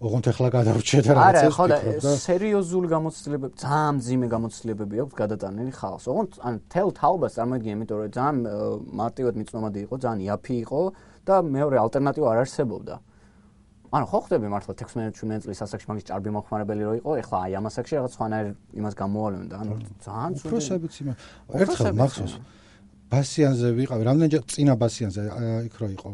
ოღონდ ახლა გადავრჩა და რაღაცას ვფიქრობდა. არა, ხო და სერიოზული გამოცდილებები, ძალიან მძიმე გამოცდილებები აქვს გადატანილი ხალხს. ოღონდ ან თელ თაობას წარმოიდგინე, იმიტომ რომ ძალიან მარტივად მიწნომადი იყო, ძალიან იაფი იყო და მეორე ალტერნატივა არ არსებობდა. ანუ ხო ხდები მართლა თექვსმეტ წლის ასაკში მაგის ჭარბი მოხმარებელი რო იყო, ეხლა აი ამ ასაკში რაღაც სხვანაირ იმას გამოვალენ და ანუ ძალიან ცუდი. უფროსებიც იმა. ერთხელ მახსოვს ბასიანზე ვიყავი, რამდენჯერ წინა ბასიანზე იქ რო იყო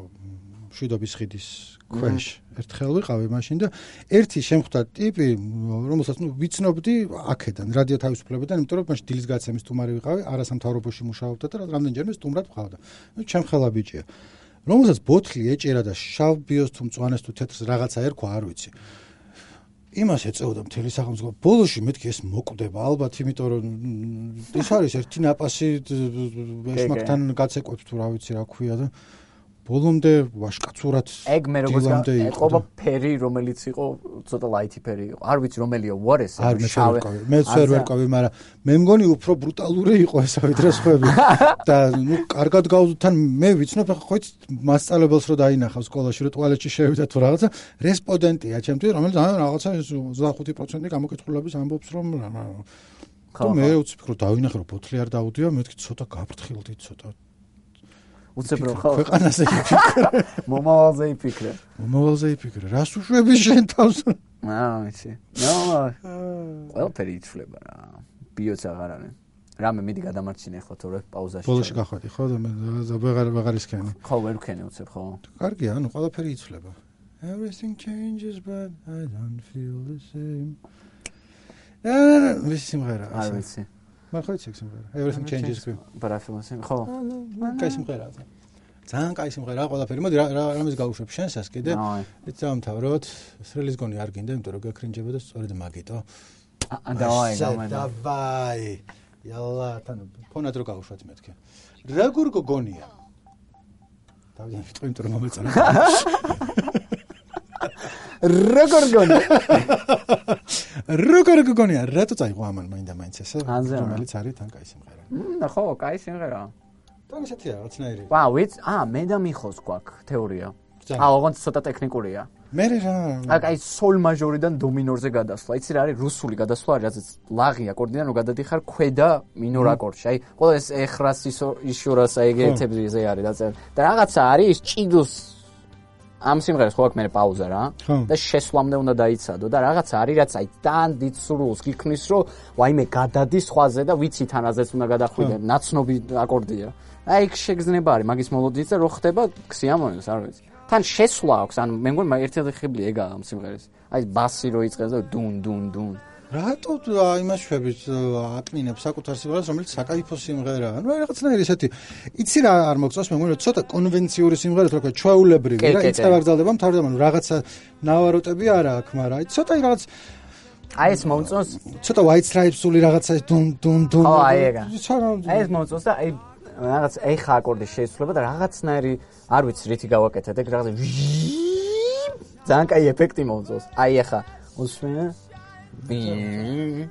მშვიდობის ხიდის ქვეშ. ერთხელ ვიყავი მაშინ და ერთი შემხვდა ტიპი, რომელსაც ნუ ვიცნობდი აქედან, რადიო თავისუფლებიდან, იმიტომ რომ მაშინ დილის გაცემის სტუმარი ვიყავი, არასამთავრობოში მუშაობდა და რამდენჯერმე სტუმრად ვყავდა. ნუ ჩემ ხელა ბიჭია. რომელსაც ბოთლი ეჭერა და შავ ბიოს თუ მწვანეს თუ თეთრს რაღაცა ერქვა, არ ვიცი. იმას ეწეოდა მთელი სახელმწიფო. ბოლოში მეთქი ეს მოკვდება ალბათ, იმიტომ რომ ეს არის ერთი ნაპასი ეშმაკთან გაცეკვებს თუ რა ვიცი რა ქვია და ბოლომდე ვაშკაცურად ეგ მე როგორც ეთყობა ფერი რომელიც იყო ცოტა ლაითი ფერი იყო. არ ვიცი რომელია უარესი შავი. მეც ვერ ვერკვევი, მაგრამ მე მგონი უფრო ბრუტალური იყო ესა ვიდრე სხვები. და ნუ კარგად გავუთან მე ვიცნობ ხო იცი მასწავლებელს რო დაინახავ სკოლაში რო ტუალეტში შევიდა თუ რაღაცა რესპონდენტია ჩემთვის რომელიც ან რაღაცა ოცდახუთი პროცენტი გამოკითხულების ამბობს რომ თუ მე უცებ რო დავინახე რომ ბოთლი არ დაუდია მეთქი ცოტა გაფრთხილდი ცოტა უცებ რო ხო ქვეყანაზე იფიქრე მომავალზე იფიქრე მომავალზე იფიქრე რას უშვები შენ თავს აა ვიცი ნო ყველაფერი იცვლება რა ბიოც აღარ არის რამე მიდი გადამარჩინე ხო თორე პაუზაში. ბოლოში გახვედი ხო და მე ვეღარ ვეღარ ისქენი. ხო ვერ ვქენი უცებ ხო. კარგია, ანუ ყველაფერი იცვლება. Everything changes but I don't feel the same. აა, ვის სიმღერა? არ ვიცი. მაგრამ ხო იცი სიმღერა. Everything changes but I feel the same. ხო. კაი სიმღერაა. ძალიან კაი სიმღერაა ყველაფერი. მოდი რა რამის გავუშვებ შენსას კიდე. იცი დავამთავროთ. სრელის გონი არ გინდა, იმიტომ რომ გაქრინჯება და სწორედ მაგიტო. აა, დავაი, გამენა. დავაი. Yalla, თან ფონად რო გავუშვათ მეთქე. როგორ გოგონია? დავიდან ვიტყვი, იმიტომ რომ მომეწონა. როგორ გოგონია? როგორ გოგონია? რატო წაიღო ამან მაინდა მაინც ესე? რომელიც არის თან კაი სიმღერა. მმ, ხო, კაი სიმღერაა. თან ისეთია, რაღაცნაირი. ვა, ვიც, აა, მე და მიხოს გვაქვს თეორია. აა, ოღონდ ცოტა ტექნიკურია. მე რა. აი, სოლ მაჟორიდან დო მინორზე გადასვლა. იცი რა არის რუსული გადასვლა, რაზეც ლაღი აკორდიდან რო გადადიხარ ქვედა მინორ აკორდში. აი, ყველა ეს ეხრას ისურას აი ეგეთებზე არის დაწერილი. და რაღაცა არის ჭიდოს ამ სიმღერას ხო აქვს მე პაუზა რა და შესვლამდე უნდა დაიცადო და რაღაცა არის რაც აი თან დიდ სრულს გიქნის რომ ვაიმე გადადის ხვაზე და ვიცი თანაზეც უნდა გადახვიდე ნაცნობი აკორდია. აი ეგ შეგზნება არის მაგის მელოდიით და რო ხდება ქსიამონეს არ ვიცი. თან შესვლა აქვს ანუ მე მგონი ერთ-ერთი ხიბლი ეგაა ამ სიმღერის. აი ბასი რო იწყებს და დუნ დუნ დუნ. რატო იმას შვებით აკნინებს საკუთარ სიმღერას რომელიც საკაიფო სიმღერაა. ანუ რაღაცნაირი ესეთი იცი რა არ მოგწონს მე მგონი ცოტა კონვენციური სიმღერა თქო ჩვეულებრივი რა იწება გრძელდება მთავრდება ანუ რაღაცა ნავაროტები არა აქვს მაგრამ აი ცოტა რაღაც აი ეს მომწონს ცოტა white stripes-ული რაღაცა დუნ დუნ დუნ ხო აი ეგა აი ეს მომწონს და აი რაღაც ეხა აკორდი შეიცვლება და რაღაცნაირი არ ვიცი რითი გავაკეთეთ ეგ რაღაცა ძალიან კაი ეფექტი მომწონს აი ეხა უსმენე We scream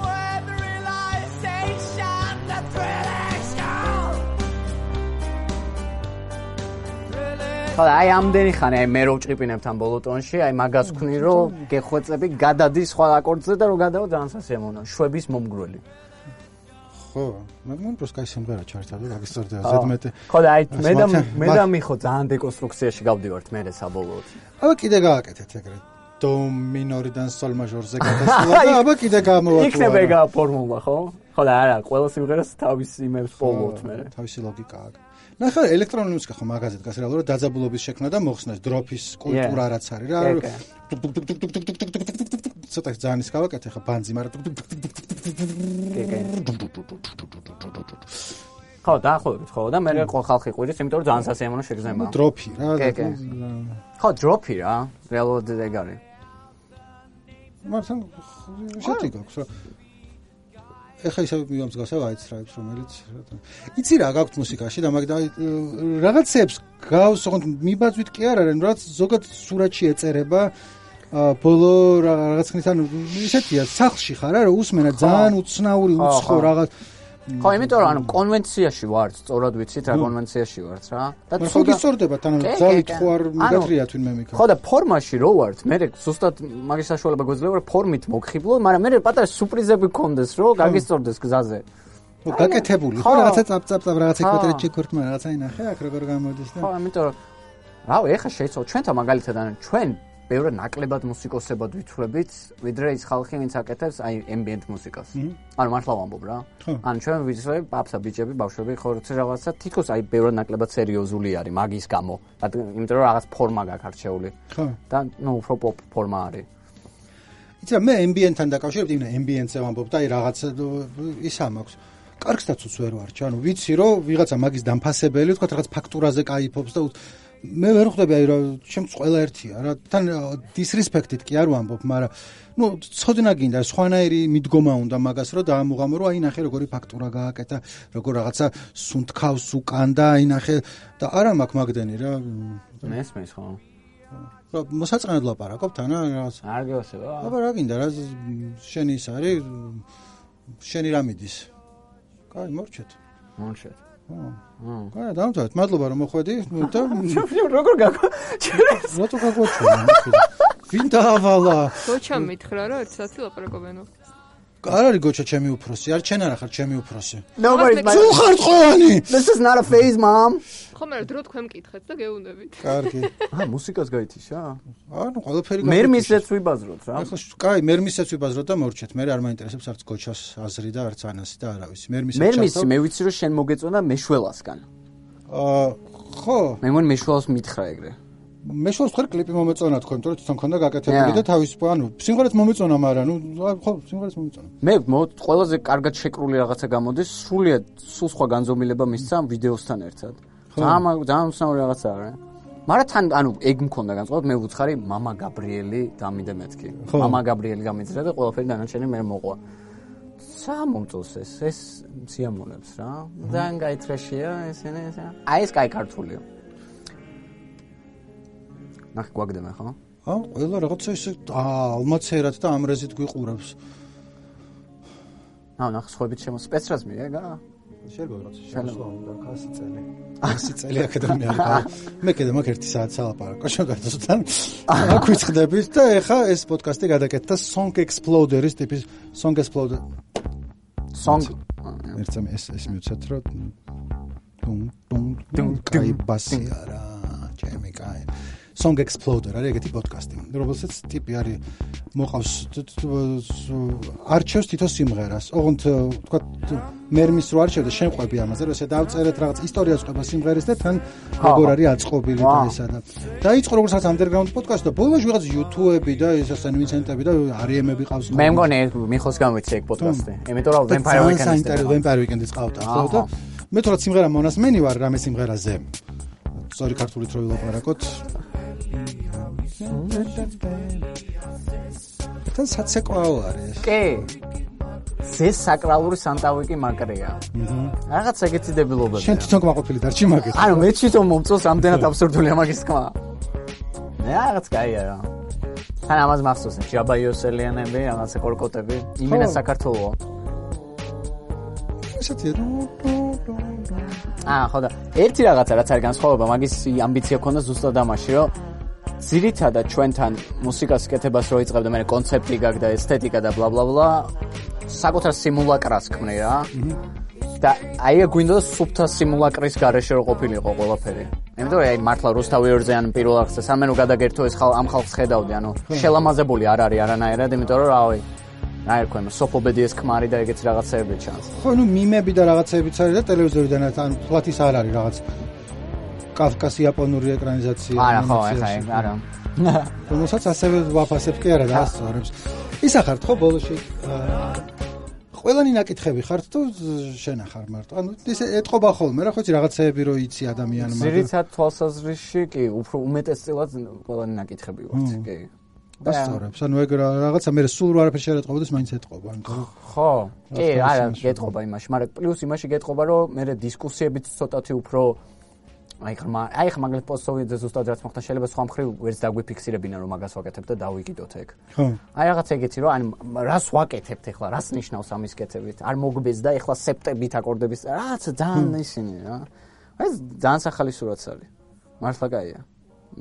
with realization that thrilling sound. ხოდა აი ამდენი ხანი აი მე რო ვჭყიპინებ თან ბოლო ტონში, აი მაგას ვქნი რომ გეხვეწები გადადის სხვა აკორდზე და რო გადავა ძალიან სასიამოვნოა. შვების მომგვრელი. ხო, მაგრამ პროს კაი სიმღერა ჩართა და გაგისწორდა ზედმეტი. ხოდა აი მე და მე და მიხო ძალიან დეკონსტრუქციაში გავდივართ მე საბოლოოდ. აბა კიდე გააკეთეთ ეგრე. დო მინორიდან სოლ მაჟორზე გადასვლა და აბა კიდე გამოვატყუა. იქნება ეგა ფორმულა, ხო? ხო და არა, ყველა სიმღერას თავის იმებს პოვოთ მე. თავისი ლოგიკა აქვს. ნახე, ელექტრონული მუსიკა ხო მაგაზე დგას რეალურად დაძაბულობის შექმნა და მოხსნას დროფის კულტურა რაც არის რა. ცოტა ძალიან ის გავაკეთე ხა ბანძი, მაგრამ ხო, დაახლოებით ხო და მე ხო ხალხი ყვირის, იმიტომ რომ ძალიან სასიამოვნო შეგრძნება. დროფი რა. ხო, დროფი რა, რეალურად ეგ არის. მაგრამ შეთი გაქვს რა. ეხა ისე მიგამსგავსა white stripes რომელიც იცი რა გაქვთ მუსიკაში და მაგ რაღაცებს გავს ოღონდ მიბაძვით კი არ არის რაც ზოგადად სურათში ეწერება ბოლო რაღაც ხნის ანუ ისეთია სახლში ხარ არა უსმენა ძალიან უცნაური უცხო რაღაც ხო იმიტომ რომ ანუ კონვენციაში ვართ სწორად ვიცით რა კონვენციაში ვართ რა და ხო გისწორდებათ ანუ ძალით ხო არ მიგატრია თვინმე მიქა ხო და ფორმაში რო ვართ მე ზუსტად მაგის საშუალება გვეძლევა რომ ფორმით მოგხიბლო მაგრამ მე პატარა სურპრიზები გქონდეს რო გაგისწორდეს გზაზე ხო გაკეთებული ხო რაღაცა წაპწაპ რაღაცა კვადრატ ჩეკორტმა რაღაცა ინახე აქ როგორ გამოდის და ხო ამიტომ რომ რავი ეხა შეიცვალ ჩვენთან მაგალითად ანუ ჩვენ ბევრად ნაკლებად მუსიკოსებად ვითვლებით, ვიდრე ის ხალხი, ვინც აკეთებს აი ambient მუსიკას. ანუ მართლა ვამბობ რა. ანუ ჩვენ ვიცით, პაპსა ბიჭები, ბავშვები, ხორცი რაღაცა თითქოს აი ბევრად ნაკლებად სერიოზული არის მაგის გამო. იმიტომ რომ რაღაც ფორმა გაქვს არჩეული. ხო. და ნუ უფრო პოპ ფორმა არის. იცი რა მე ambient-თან დაკავშირებით, იმენა ambient-ზე ვამბობ და აი რაღაცა ისა მაქვს. კარგსაც უცვერო არჩა, ანუ ვიცი რომ ვიღაცა მაგის დამფასებელი, თქვა რაღაც ფაქტურაზე кайფობს და მე ვერ ხვდები აი რა ჩემს ყველა ერთია რა თან დისრესპექტით კი არ ვამბობ მაგრამ ნუ ცოდნა გინდა სხვანაირი მიდგომა უნდა მაგას რომ დაამუღამო რომ აი ნახე როგორი ფაქტურა გააკეთა როგორ რაღაცა სუნთქავს უკან და აი ნახე და არა მაქვს მაგდენი რა მესმის ხო რა მოსაწყენად ლაპარაკობ თან რაღაც არ გეოსება აბა რა გინდა რა შენი ის არის შენი რა მიდის კაი მორჩეთ მორჩეთ აა. აა, დავამთავრეთ. მადლობა რომ მოხვედი და როგორ გაგო? რატო გაგოჩვენა? ვინ დაავალა? გოჩა მითხრა რომ ერთ საათი ლაპარაკობენო. არ არის გოჩა ჩემი უფროსი, არ ჩენ არა ხარ ჩემი უფროსი. Nobody. თუ ხარ ყველანი. This is not a phase, mom. ხო მე დრო თქვენ მკითხეთ და გეუნებით. კარგი. აა მუსიკას გაითიშა? ანუ ყველაფერი მე მისეც ვიბაზროთ რა. ახლა კაი, მე მისეც ვიბაზროთ და მორჩეთ. მე არ მაინტერესებს არც გოჩას აზრი და არც ანასი და არავის. მე მისეც მე მისი მე ვიცი რომ შენ მოგეწონა მეშველასგან. აა ხო. მე მგონი მეშველას მითხრა ეგრე. მეშველს ხარ კლიპი მომეწონა თქო, იმიტომ რომ თვითონ ქონდა გაკეთებული და თავის ანუ სიმღერაც მომეწონა, მაგრამ ნუ ხო, სიმღერაც მომეწონა. მე ყველაზე კარგად შეკრული რაღაცა გამოდის, სრულიად სულ სხვა განზომილება მისცა ვიდეოსთან ერთად. ძალიან ძალიან უცნაური რაღაცაა რა. მაგრამ თან ანუ ეგ მქონდა განწყობად, მე ვუცხარი მამა გაბრიელი დამიდე მეთქი. მამა გაბრიელი გამიძრა და ყველაფერი დანარჩენი მე მოყვა. სამომწოს ეს ეს სიამონებს რა. ძალიან გაითრაშია ესენი ეს. აი ეს კაი ქართულია. ნახე გვაგდემა ხო? აა ყველა რაღაცა ისე ალმაცერად და ამრეზით გვიყურებს. აა ნახე სხვაებით შემო სპეცრაზმი ეგა? შეიძლება რაღაცა შემოსვა უნდა ასი წელი. ასი წელი აკადემია არის. მე კიდე მაგ ერთი საათი სალაპარაკო შეგარდოსთან. აქ ვიწყდებით და ეხა ეს პოდკასტი გადაკეთდა Song Exploder-ის ტიპის Song Exploder. Song ერთსა ეს ეს მივცეთ რომ ტუნ ტუნ ტუნ კაი ბასი არა ჩემი კაი Song Exploder არის ეგეთი პოდკასტი, რომელსაც ტიპი არის მოყავს არჩევს თითო სიმღერას. ოღონდ თქვა მერმის რო არჩევდა შენ ყვები ამაზე, რომ ესე დავწერეთ რაღაც ისტორიას ყვება სიმღერის და თან როგორ არის აწყობილი და ესა და დაიწყო როგორც underground პოდკასტი და ბოლოს ვიღაც YouTube-ები და ეს ასე ვინცენტები და არიემები ყავს. მე მგონი მიხოს გამიცე ეგ პოდკასტი. იმიტომ რომ Vampire Weekend-ის Vampire Weekend-ის ყავდა ხო და მე თორე სიმღერა მონასმენი ვარ რამე სიმღერაზე. სწორი ქართულით რო ვილაპარაკოთ. თან საცეკვაო არის. კი. ეს საკრალური სანტავიკი მაგრია. რაღაც ეგეთი დებილობები. შენ თვითონ გაყოფილი დარჩი მაგით. ანუ მე თვითონ მომწონს ამდენად აბსურდულია მაგის თქმა. მე რაღაც კაია რა. თან ამას მახსოვს ჯაბა იოსელიანები, რაღაცა კორკოტები, იმენა საქართველო. ესეთი აა ხო და ერთი რაღაცა რაც არის განსხვავება, მაგის ამბიცია ქონდა ზუსტად ამაში, რომ ძირითადად ჩვენთან მუსიკას კეთებას რო იწყებდა, მე კონცეფტი გაგდა, ესთეტიკა და ბლა ბლა ბლა, საკუთარ სიმულაკრას ქმნი რა. და აი გვინდა სუფთა სიმულაკრის გარეშე რო ყოფილიყო ყველაფერი. იმიტომ რომ აი მართლა რუსთავი ორზე ან პირველ ახსა სამენო გადაგერთო ეს ხალ ამ ხალხს ხედავდი, ანუ შელამაზებული არ არის არანაირად, იმიტომ რომ რავი აი თქვენ სოფობედიეს ქმარი და ეგეც რაღაცეები ჩანს. ხო, ნუ მიმები და რაღაცეებიც არის და ტელევიზორიდან ან ფლათის არ არის რაღაც კავკასი იაპონური ეკრანიზაცია. არა, ხო, ეხა ეგ არა. რომელსაც ასევე ვაფასებ კი არა და ასწორებს. ის ახართ ხო ბოლოში ყველანი ნაკითხები ხართ თუ შენ ახარ მარტო? ანუ ესე ეთყობა ხოლმე რა, ხო იცი რაღაცეები რო იცი ადამიანმა. ძირითადად თვალსაზრისში კი, უფრო უმეტესწილად ყველანი ნაკითხები ვართ, კი. ასწორებს. ანუ ეგ რაღაცა მე სულ არაფერს არ ეთყობოდეს, მაინც ეთყობა, ანუ ხო. კი, არა, გეთყობა იმაში, მაგრამ პლუს იმაში გეთყობა, რომ მე დისკუსიებიც ცოტათი უფრო აი ხმა, აი ხმა მაგალითად პოსტოვიძე ზუსტად რაც მოხდა, შეიძლება სხვა მხრივ ვერც დაგვიფიქსირებინა რომ მაგას ვაკეთებ და დავიკიდოთ ეგ. ხო. აი რაღაც ეგეთი რომ ანუ რას ვაკეთებთ ახლა, რას ნიშნავს ამის კეთებით? არ მოგბეს და ახლა სექტებით აკორდების რაღაც ძალიან ისინი რა. აი ძალიან ახალი სურათს არის. მართლა კაია.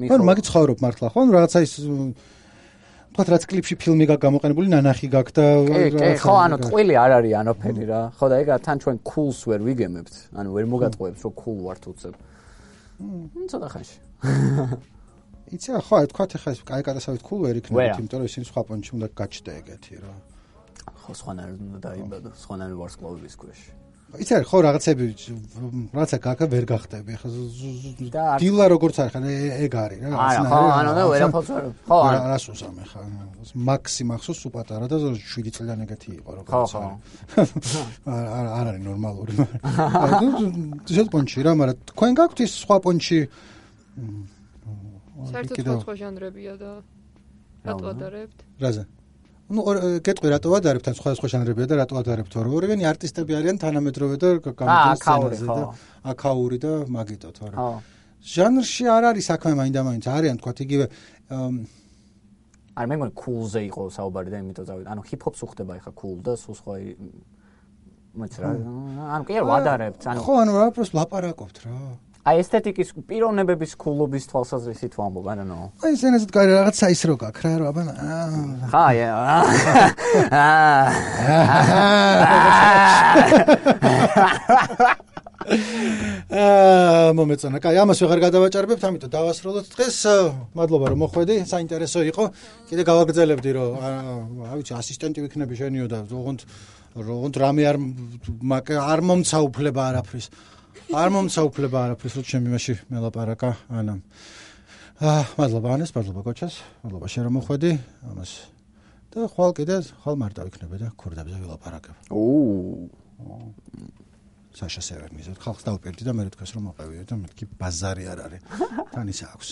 ანუ მაგით ცხოვრობ მართლა ხო? ანუ რაღაცა ის თქვა რაც კლიპში ფილმი გაქვს გამოყენებული, ნანახი გაქვს და კი, ხო, ანუ ტყვილი არ არის ანოფერი რა. ხო და ეგა თან ჩვენ cool-ს ვერ ვიგემებთ. ანუ ვერ მოგატყუებს რომ cool ვართ უცებ. მ ცოტა ხანში. იცი რა, ხო, თქვა ეხლა ეს კაი კატასავით cool ვერ იქნებით, იმიტომ რომ ისინი სხვა პონჩი უნდა გაჩნდა ეგეთი რა. ხო, სხვანაირად უნდა დაიბადო, სხვანაირ ვარსკვლავების ქვეშ. იცი რა, ხო, რაღაცები რაღაცა გაკა ვერ გახდები. ახლა დილა როგორც არის, ხან ეგ არის რა. არა, ხო, ანუ და ვერაფერს ვერ. ხო, რას უსამე ხა. მაქსი მახსოვს სუ პატარა და შვიდი წლიდან ეგეთი იყო როგორც არის. ხო, ხო. არ არ არის ნორმალური. ეს პონჩი რა, მაგრამ თქვენ გაქვთ ის სხვა პონჩი? საერთოდ სხვა ჟანრებია და რატო ადარებთ? რაზე? ну გეტყვი რატო ვადარებთ ან სხვა სხვა ჟანრებია და რატო ვადარებთ თორე ორივენი არტისტები არიან თანამედროვე და გამოდიან სცენაზე და აკაური და მაგიტო თორე ჟანრში არ არის საქმე მაინდა-მაინც არიან თქვა იგივე არ მე მგონი cool-ზე იყო საუბარი და იმიტომ დავით ანუ hip-hop-ს უხდება ეხა cool და სულ სხვა მოიცა რა ანუ კი არ ვადარებთ ანუ ხო ანუ რა პროს ლაპარაკობთ რა აი ესთეტიკის პიროვნებების ქულობის თვალსაზრისით ვამბობ, I don't know. აი ესენასაც კარი რაღაცა ის რო გაქვს რა, აბა. ხა, აა მომეწონა. კაი, ამას ვეღარ გადავაჭარბებთ, ამიტომ დავასრულოთ დღეს. მადლობა რომ მოხვედი, საინტერესო იყო. კიდე გავაგრძელებდი რომ რა ვიცი, ასისტენტი ვიქნები შენიო და ოღონდ ოღონდ რამე არ არ მომცა უფლება არაფრის. არ მომცა უფლება არაფრის, რომ ჩემი მაშინ მელაპარაკა ანამ. აა მადლობა ანეს, მადლობა კოჩას, მადლობა შენ რომ მოხვედი ამას. და ხვალ კიდე ხვალ მარტო ვიქნები და ქურდებზე ვილაპარაკებ. ოუ საშა სევერნიზად ხალხს დავპირდი და მე თქვას რომ მოყევიო და მეთქი ბაზარი არ არის. თან ისე აქვს.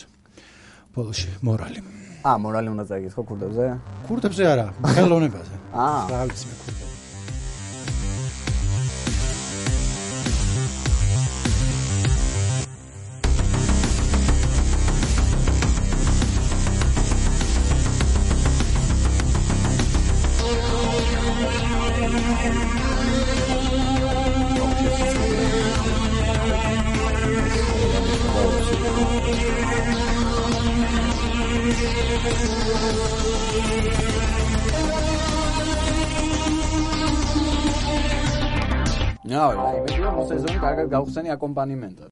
ბოლოში მორალი. აა მორალი უნდა წაიგიხო ქურდებზე? ქურდებზე არა, ხელოვნებაზე. აა რა ვიცი მე ქურდებზე. No, აი, მე ვიმეორე სეზონი კარგად გავხსენი აკომპანიმენტად.